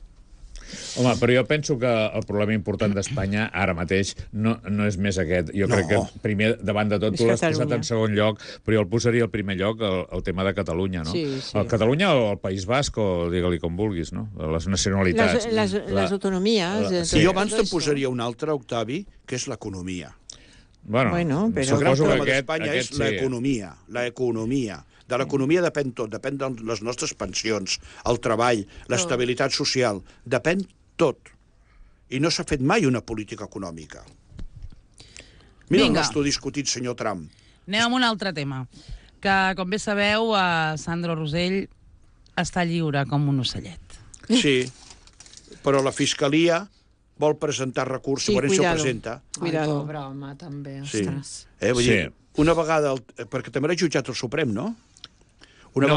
Home, però jo penso que el problema important d'Espanya ara mateix no és més aquest. Jo crec que primer, davant de tot, És tu l'has posat Catalunya. en segon lloc, però jo el posaria al primer lloc, el tema de Catalunya, no? Sí, sí. El Catalunya o el País Basc, o digue-li com vulguis, no? Les nacionalitats. Las autonomías. Sí, jo abans te'n posaria un altre, Octavi, que és l'economia. Bueno, però- El gran suposo problema que d'Espanya és l'economia. L'economia. De l'economia depèn tot. Depèn de les nostres pensions, el treball, l'estabilitat social. Depèn tot. I no s'ha fet mai una política econòmica. Mira Vinga. el nostre discutit, senyor Trump. Anem amb un altre tema, que, com bé sabeu, Sandro Rosell està lliure com un ocellet. Sí, però la Fiscalia vol presentar recurs, Sí, segurament cuidado. s'ho presenta. Cuidado. Ai, pobre home, també, Sí. ostres. Vull Sí. dir, una vegada... Perquè també l'ha jutjat el Suprem, no? No,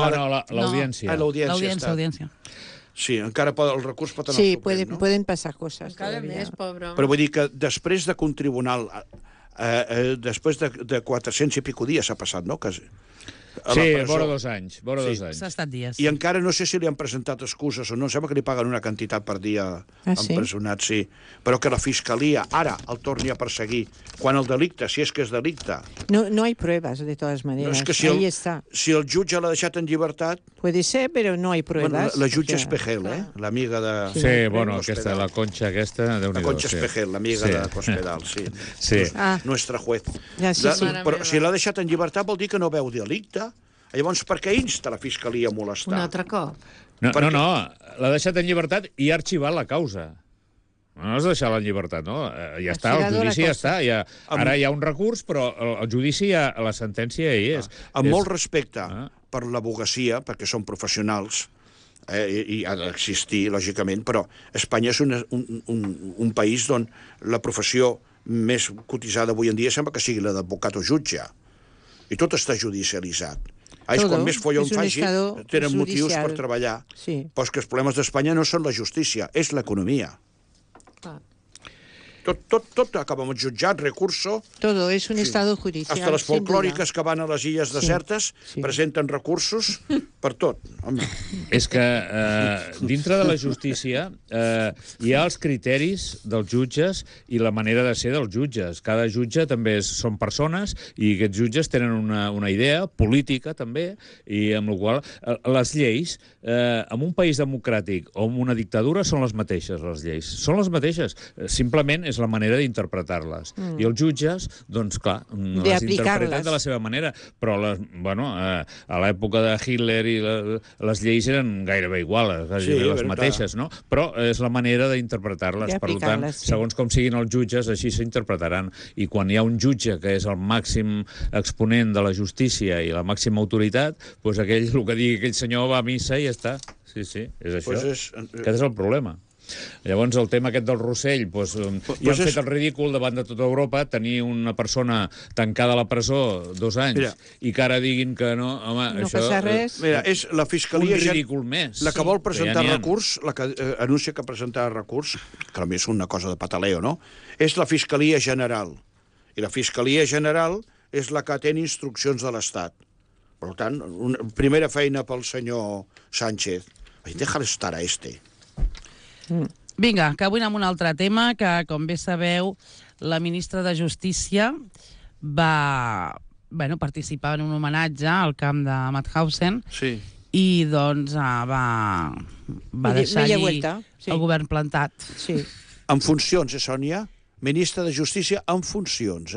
l'audiència. Ah, l'audiència. L'audiència. Sí, encara el recurs pot anar Sí, al Suprem, no? pueden pasar cosas. Encara todavía. més, pobre home. Però vull dir que després de que un tribunal... després de 400 i pico dies s'ha passat, no? Que, a la Sí, presó. vora 2 anys. Vora 2 anys. S'ha estat dies. I encara no sé si li han presentat excuses o no. Em sembla que li paguen una quantitat per dia sí? empresonat, sí. Però que la Fiscalia ara el torni a perseguir quan el delicte, si és que és delicte... No hay pruebas, de todas No, maneras. és que si Ahí está. si el jutge l'ha deixat en llibertat... Puede ser, pero no hay pruebas. Bueno, la jutge o sea, Espejel, l'amiga de... Sí, bueno, Cospedal. la Concha aquesta, déu-n'hi-do. La Concha sí. Espejel, l'amiga de Cospedal, sí. Sí. Ah. Nuestra juez. Ja, sí, sí. Però si l'ha deixat en llibertat vol dir que no veu delicte. Llavors, per què insta la Fiscalia a molestar? Un altre cop. No, Per què? l'ha deixat en llibertat i ha arxivat la causa. No has deixat en llibertat, no? Ja està, el Archivado la judici ja cosa. està. Ara hi ha un recurs, però el judici, la sentència hi és. Amb molt respecte Ah. per l'abogacia, perquè són professionals, i ha d'existir, lògicament, però Espanya és un país on la professió més cotitzada avui en dia sembla que sigui la d'advocat o jutge. I tot està judicialitzat. És Todo. quan més follon És un faci, estado tenen motius judicial. per treballar. Sí. Però és que els problemes d'Espanya no són la justícia, és l'economia. Clar. Tot acaba amb el jutjat, recurso. Todo es un estado judicial. Hasta les sin duda. folclòriques que van a les illes desertes presenten recursos per tot. Home. És que dintre de la justícia hi ha els criteris dels jutges i la manera de ser dels jutges. Cada jutge també són persones i aquests jutges tenen una idea política també, i amb la qual les lleis en un país democràtic o en una dictadura són les mateixes, les lleis. Són les mateixes. Simplement és la manera d'interpretar-les. I els jutges, doncs clar, les interpreten de la seva manera, però a l'època de Hitler i les lleis eren gairebé iguals, les mateixes, no? Però és la manera d'interpretar-les. Per tant, segons com siguin els jutges, així s'interpretaran. I quan hi ha un jutge que és el màxim exponent de la justícia i la màxima autoritat, doncs el que digui aquell senyor va a missa i ja està. Sí, és això. Aquest és el problema. Llavors, el tema aquest del Rossell, i han fet el ridícul davant de tota Europa, tenir una persona tancada a la presó 2 anys, i que ara diguin que no, home, no això... passa res. Mira, és la Fiscalia... Un ridícul més. La que vol presentar recurs, la que anuncia que presentarà recurs, que a més és una cosa de pataleo, no? És la Fiscalia General. I la Fiscalia General és la que té instruccions de l'Estat. Per tant, primera feina pel senyor Sánchez. Déjale estar a este. Vinga, que avui anem a un altre tema, que, com bé sabeu, la ministra de Justícia va participar en un homenatge al camp de Mauthausen i doncs va deixar-hi el govern plantat. Sí. En funcions, Sònia? Ministra de Justícia en funcions,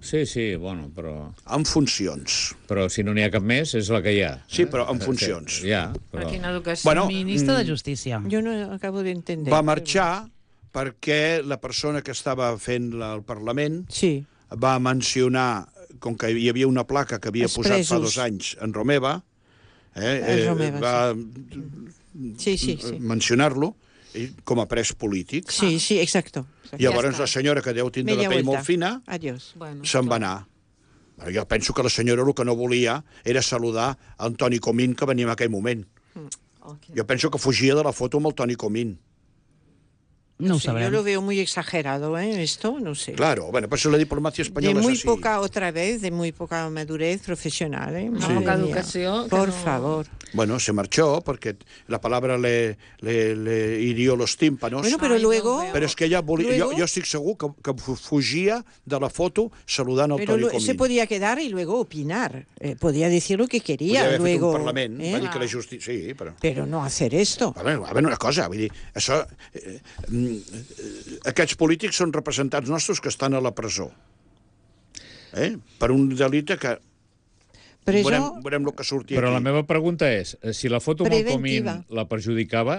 Sí, bueno, però... En funcions. Però si no n'hi ha cap més, és la que hi ha. Sí, però en funcions. Ja, però... Quina educació. Bueno, ministra de Justícia. Jo no acabo d'entendre. Va marxar perquè la persona que estava fent el Parlament va mencionar, com que hi havia una placa que havia posat fa 2 anys en Romeva, va mencionar-lo com a pres polític. Sí, exacto. Llavors la senyora, que deu tindre la pell molt fina, se'n va anar. Jo penso que la senyora el que no volia era saludar el Toni Comín, que venia en aquell moment. Jo penso que fugia de la foto amb el Toni Comín. No ho sabrem. Yo lo veo muy exagerado, esto, no sé. Claro, bueno, pues la diplomacia española de muy es así. De muy poca madurez profesional, Poca educación. Por favor. Bueno, se marchó porque la palabra le hirió los tímpanos. Bueno, pero luego... Pero es que ella volía, yo estoy seguro que fugia de la foto saludando al Toni Comín. Se podía quedar y luego opinar. Podía decir lo que quería. Podria haver luego, fet un Parlament, va dir que la justícia... Sí, però... Pero no hacer esto. A veure, una cosa, vull dir, això... aquests polítics són representants nostres que estan a la presó. Per un delicte que... Veurem el que surti aquí. Però la meva pregunta és, si la foto amb el Comín la perjudicava,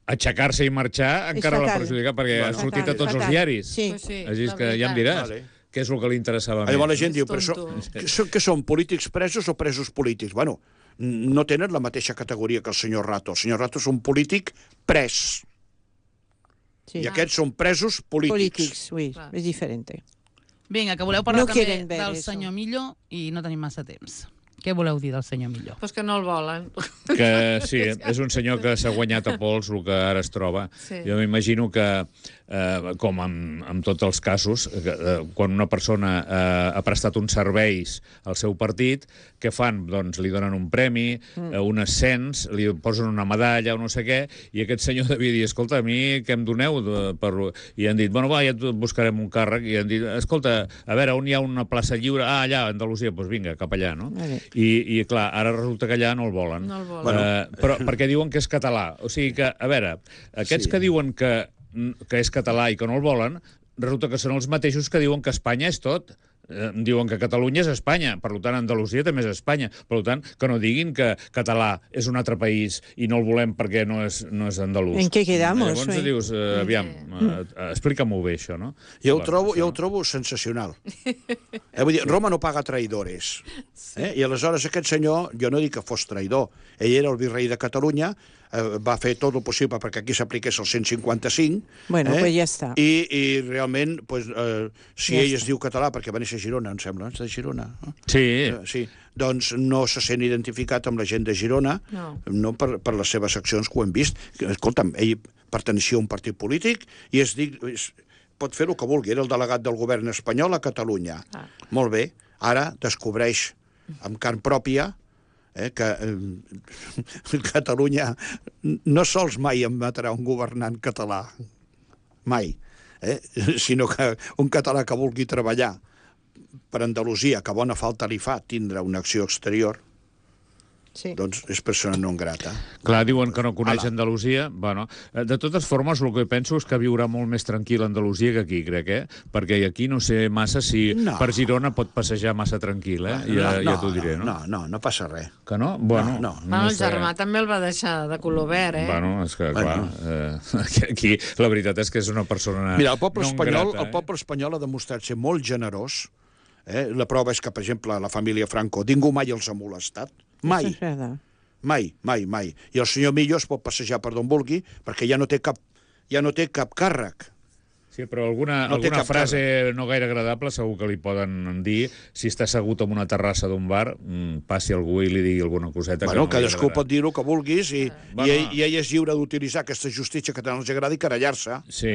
aixecar-se i marxar encara la perjudicava, perquè ha sortit a tots els diaris. Sí. Així que ja em diràs què és el que li interessava més. Llavors la gent diu, però que són polítics presos o presos polítics? Bueno, no tenen la mateixa categoria que el senyor Rato. El senyor Rato és un polític pres. I aquests són presos polítics. És diferent. Vinga, que voleu parlar també del senyor Millo i no tenim massa temps. Què voleu dir del senyor Millo? Pues que no el volen. Que sí, és un senyor que s'ha guanyat a pols el que ara es troba. Jo m'imagino que, com en tots els casos, quan una persona ha prestat uns serveis al seu partit, què fan? Doncs li donen un premi, un ascens, li posen una medalla o no sé què, i aquest senyor devia dir, escolta, a mi què em doneu? I han dit, bueno, va, ja et buscarem un càrrec, i han dit, escolta, a veure, on hi ha una plaça lliure? Ah, allà, a Andalusia, doncs vinga, cap allà, no? I clar, ara resulta que allà no el volen. Però perquè diuen que és català. O sigui que, a veure, aquests que diuen que és català i que no el volen, resulta que són els mateixos que diuen que Espanya és tot. Diuen que Catalunya és Espanya, per tant Andalusia també és Espanya, per tant que no diguin que català és un altre país i no el volem perquè no és andalús. En què quedamos? Llavors dius, aviam, explica-m'ho bé això, no? Jo ho trobo sensacional. Vull dir, Roma no paga traïdores. I aleshores aquest senyor, jo no dic que fos traïdor, ell era el virrei de Catalunya, va fer tot el possible perquè aquí s'apliqués el 155. Bueno, pues ja està. I realment, si ell es diu català, perquè va néixer a Girona, em sembla, de Girona. Sí. Doncs no se sent identificat amb la gent de Girona, no per les seves accions que ho hem vist. Escolta'm, ell perteneixia a un partit polític i pot fer el que vulgui. Era el delegat del govern espanyol a Catalunya. Molt bé. Ara descobreix amb carn pròpia que Catalunya no sols mai admetrà un governant català, mai, sinó que un català que vulgui treballar per Andalusia, que bona falta li fa tindre una acció exterior, doncs és persona non grata. Clar, diuen que no coneix Andalusia. Bueno, de totes formes, el que penso és que viurà molt més tranquil a Andalusia que aquí, crec, perquè aquí no sé massa si per Girona pot passejar massa tranquil, ja t'ho diré, no? No passa res. Que no? Bueno, el germà també el va deixar de color verd, Bueno, és que, clar, aquí la veritat és que és una persona Mira, el poble espanyol ha demostrat ser molt generós. La prova és que, per exemple, la família Franco ningú mai els ha molestat. Mai. Mai. I el senyor Millo es pot passejar per d'on vulgui perquè ja no té cap càrrec. Sí, però alguna frase no gaire agradable segur que li poden dir si està assegut en una terrassa d'un bar, passi algú i li digui alguna coseta. Bueno, cadascú pot dir el que vulguis i ell és lliure d'utilitzar aquesta justícia que tant els agrada i querellar-se. Sí,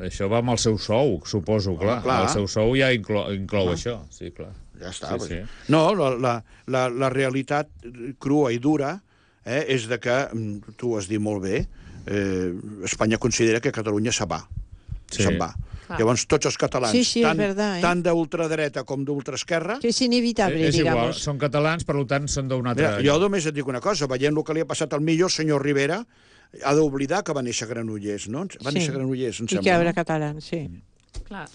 això va amb el seu sou, suposo, clar. El seu sou ja inclou això, sí, clar. Ja està. No, la realitat crua i dura és de que, tu ho has dit molt bé, Espanya considera que Catalunya se'n va. Se'n va. Llavors, tots els catalans, tant d'ultradreta com d'ultraesquerra... Que és inevitable, és igual, són catalans, per tant, són d'un altre... Jo només et dic una cosa, veient el que li ha passat al Millo, el senyor Rivera ha d'oblidar que va néixer a Granollers, no? Va néixer a Granollers, em sembla. I que era català, sí. Clar.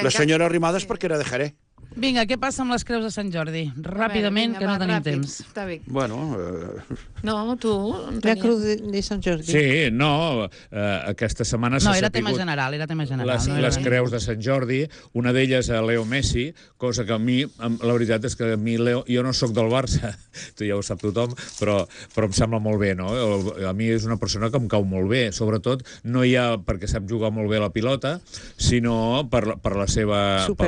La senyora Arrimadas perquè era de Jerez. Vinga, què passa amb les creus de Sant Jordi? Ràpidament, que no tenim temps. Bueno... No, tu... La creu de Sant Jordi. Sí, no, aquesta setmana s'ha sapigut... No, era tema general. Les creus de Sant Jordi, una d'elles a Leo Messi, cosa que a mi, la veritat és que a mi Leo... Jo no sóc del Barça, tu ja ho sap tothom, però em sembla molt bé, no? A mi és una persona que em cau molt bé, sobretot no hi ha perquè sap jugar molt bé a la pilota, sinó pel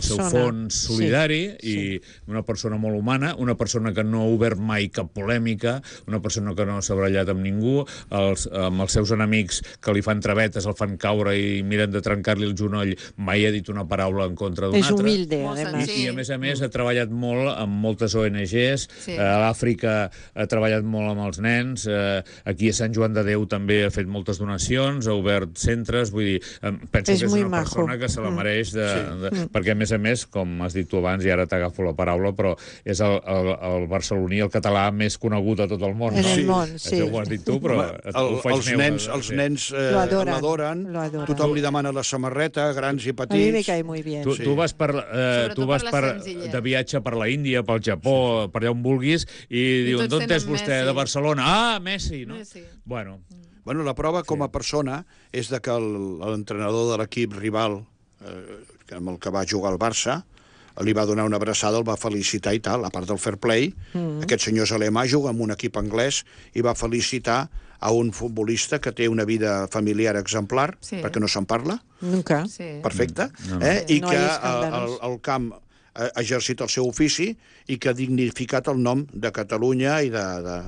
seu fons solidari i una persona molt humana, una persona que no ha obert mai cap polèmica, una persona que no s'ha barallat amb ningú, amb els seus enemics que li fan travetes, el fan caure i miren de trencar-li el genoll, mai ha dit una paraula en contra d'un altre. És humilde, además. I a més ha treballat molt amb moltes ONGs, a l'Àfrica ha treballat molt amb els nens, aquí a Sant Joan de Déu també ha fet moltes donacions, ha obert centres, vull dir, penso que és una persona que se la mereix, perquè a més, com has dit tu abans, i ara t'agafo la paraula, però és el barceloní, el català més conegut a tot el món. En el món, sí. Això ho has dit tu, però ho faig meu. Els nens l'adoren, tothom li demana la samarreta, grans i petits. A mi me cae muy bien. Tu vas de viatge per la Índia, pel Japó, per allà on vulguis, i diuen, d'on és vostè? De Barcelona. Ah, Messi, no? Bueno, la prova com a persona és de que l'entrenador de l'equip rival amb el que va jugar al Barça li va donar una abraçada, el va felicitar i tal, a part del fair play. Aquest senyor és alemà, juga amb un equip anglès i va felicitar a un futbolista que té una vida familiar exemplar, perquè no se'n parla. Nunca. Perfecte. I que al camp ha exercit el seu ofici i que ha dignificat el nom de Catalunya i de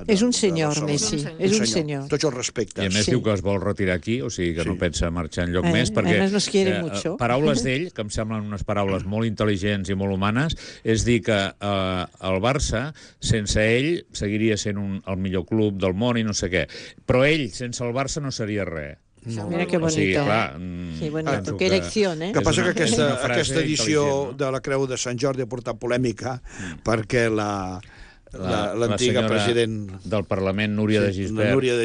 és un senyor, Messi. És un senyor. Tots els respectes. I a més diu que es vol retirar aquí, o sigui que no pensa marxar enlloc més, perquè nos quiere mucho. Paraules d'ell, que em semblen unes paraules molt intel·ligents i molt humanes, és dir que el Barça, sense ell, seguiria sent el millor club del món i no sé què. Però ell, sense el Barça, no seria res. Mira que bonito. Sí, clar, sí, bonito. Qué elección, que passa que aquesta edició de la Creu de Sant Jordi ha portat polèmica perquè l'antiga president del Parlament, Núria de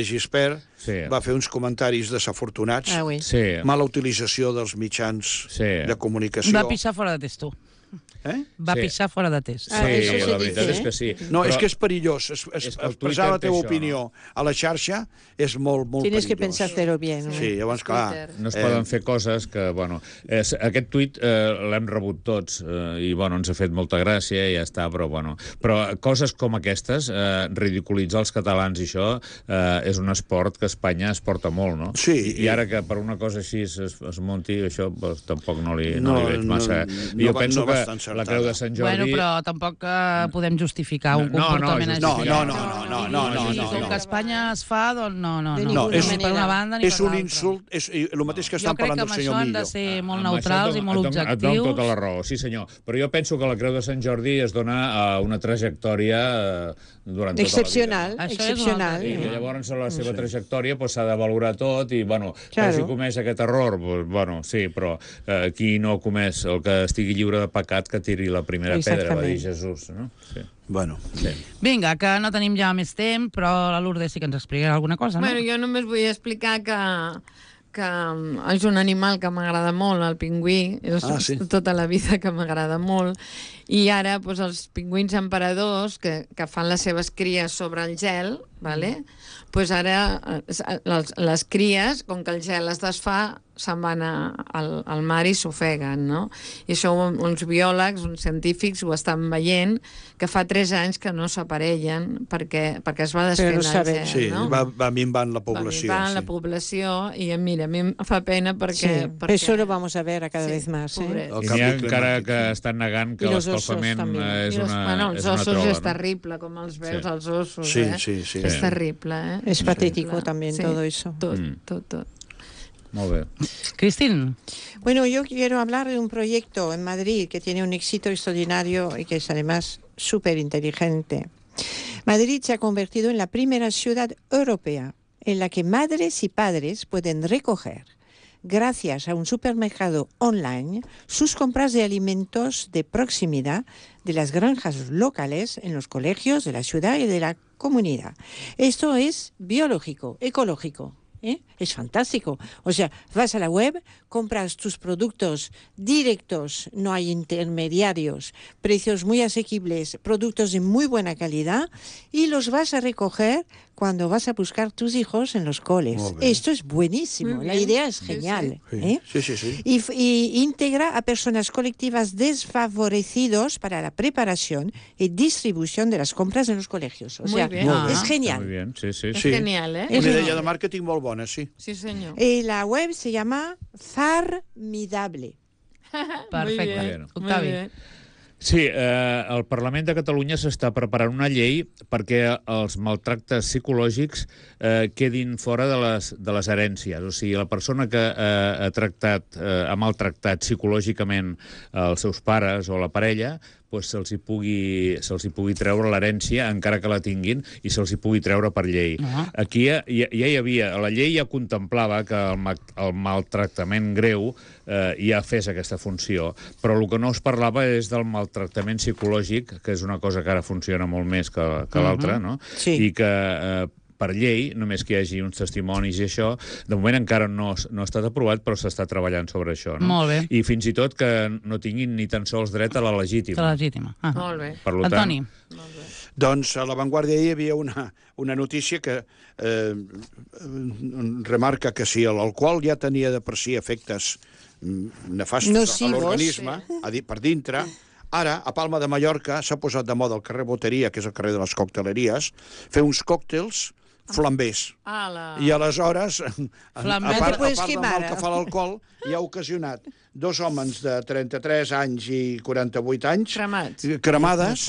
Gispert, va fer uns comentaris desafortunats, mala utilització dels mitjans de comunicació. Va pixar fora de testo. Va pixar fora de test. Sí, la veritat és que sí. No, és que és perillós. Expressar la teva opinió a la xarxa és molt perillós. Tienes que pensar-te-lo bien. Sí, llavors, clar... No es poden fer coses que, bueno... Aquest tuit l'hem rebut tots i, bueno, ens ha fet molta gràcia i ja està, però, bueno... Però coses com aquestes, ridiculitzar els catalans i això, és un esport que a Espanya es porta molt, no? Sí. I ara que per una cosa així es munti, això tampoc no li veig massa. Jo penso que està encertada. la Creu de Sant Jordi... Bueno, però tampoc podem justificar un comportament així. No. Com que a Espanya es fa, doncs no. No, és Ni per una banda ni per És un l'altra. insult, és el mateix que estan parlant del senyor Jo crec que amb això hem de Millo. ser molt Amb neutrals això i molt et dono objectius. tota la raó, sí senyor. Però jo penso que la Creu de Sant Jordi es dona a una trajectòria durant tota excepcional, Això és excepcional. una la vida. I llavors a la seva trajectòria s'ha de valorar tot i, bueno, que Claro. hagi comès aquest error, bueno, sí, però qui no ha comès el que estigui lliure de pecat que tiri la primera pedra, va dir Jesús, no? Sí. Bueno. Vinga, que no tenim ja més temps, però la Lourdes sí que ens explicarà alguna cosa, no? Bueno, jo només vull explicar que és un animal que m'agrada molt, el pingüí. És sí. tota la vida que m'agrada molt. I ara, doncs, els pingüins emperadors, que fan les seves cries sobre el gel, vale? Doncs ara les cries, com que el gel es desfà, se'n van al mar i s'ofeguen, no? I això uns biòlegs, uns científics ho estan veient, que fa 3 anys que no s'aparellen perquè es va desfent el gel, sí, no? va minvant la població. Va minvant la població i mira, a mi em fa pena perquè... Sí, eso lo vamos a ver cada vez más. pobret. I n'hi ha encara que estan negant que l'escalfament és una els ossos trola, és no? terrible, com els veus, els ossos, Sí. És terrible, Es patético también todo eso. Tot. Molt bé. Cristín. Bueno, yo quiero hablar de un proyecto en Madrid que tiene un éxito extraordinario y que es además súper inteligente. Madrid se ha convertido en la primera ciudad europea en la que madres y padres pueden recoger, gracias a un supermercado online, sus compras de alimentos de proximidad de las granjas locales en los colegios de la ciudad y de la comunidad. Esto es biológico, ecológico. Es fantástico. O sea, vas a la web, compras tus productos directos, no hay intermediarios, precios muy asequibles, productos de muy buena calidad y los vas a recoger cuando vas a buscar tus hijos en los coles. Esto es buenísimo. La idea es genial. Sí. Y integra a personas colectivas desfavorecidos para la preparación y distribución de las compras en los colegios. O sea, es genial. Muy bien, sí. És genial, Una idea de màrqueting molt bona, sí. Sí, senyor. La web se llama Farmidable. Perfecte. Octavi. Sí, el Parlament de Catalunya s'està preparant una llei perquè els maltractes psicològics quedin fora de les herències. O sigui, la persona que ha maltractat psicològicament els seus pares o la parella, doncs se'ls hi pugui treure l'herència, encara que la tinguin, i se'ls hi pugui treure per llei. Aquí ja hi havia... La llei ja contemplava que el maltractament greu ja fes aquesta funció, però el que no es parlava és del maltractament psicològic, que és una cosa que ara funciona molt més que l'altra, no? Sí. I que per llei, només que hi hagi uns testimonis i això, de moment encara no ha estat aprovat, però s'està treballant sobre això. No? Molt bé. I fins i tot que no tinguin ni tan sols dret a la legítima. La legítima. Molt bé. Per tant, Antoni. Doncs a l'avantguàrdia hi havia una notícia que remarca que si l'alcohol ja tenia de per si efectes nefastos nocivos, a l'organisme, per dintre, ara, a Palma de Mallorca, s'ha posat de moda al carrer Boteria, que és el carrer de les cocteleries, fer uns còctels flambers. I aleshores, a part del mal que fa l'alcohol, hi ha ocasionat 2 homes de 33 anys i 48 anys cremades,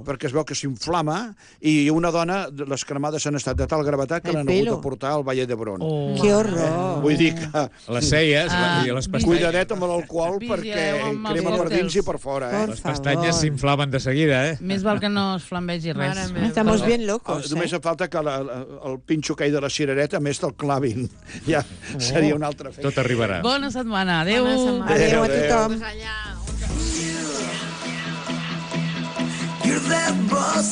perquè es veu que s'inflama, i una dona, les cremades han estat de tal gravetat que l'han hagut de portar al Valle d'Hebron. ¡Qué horror! Vull dir que... Les celles i les pestanyes... Cuidadet amb l'alcohol perquè crema per dins i per fora, Les pestanyes s'inflaven de seguida, Més val que no es flambegi res. Estamos bien locos. Només falta que el pinxo aquell de la cirereta més te'l clavin. Ja seria un altre fet. Tot arribarà. Bona setmana. Adéu. Adéu a tothom. Allà. You're that boss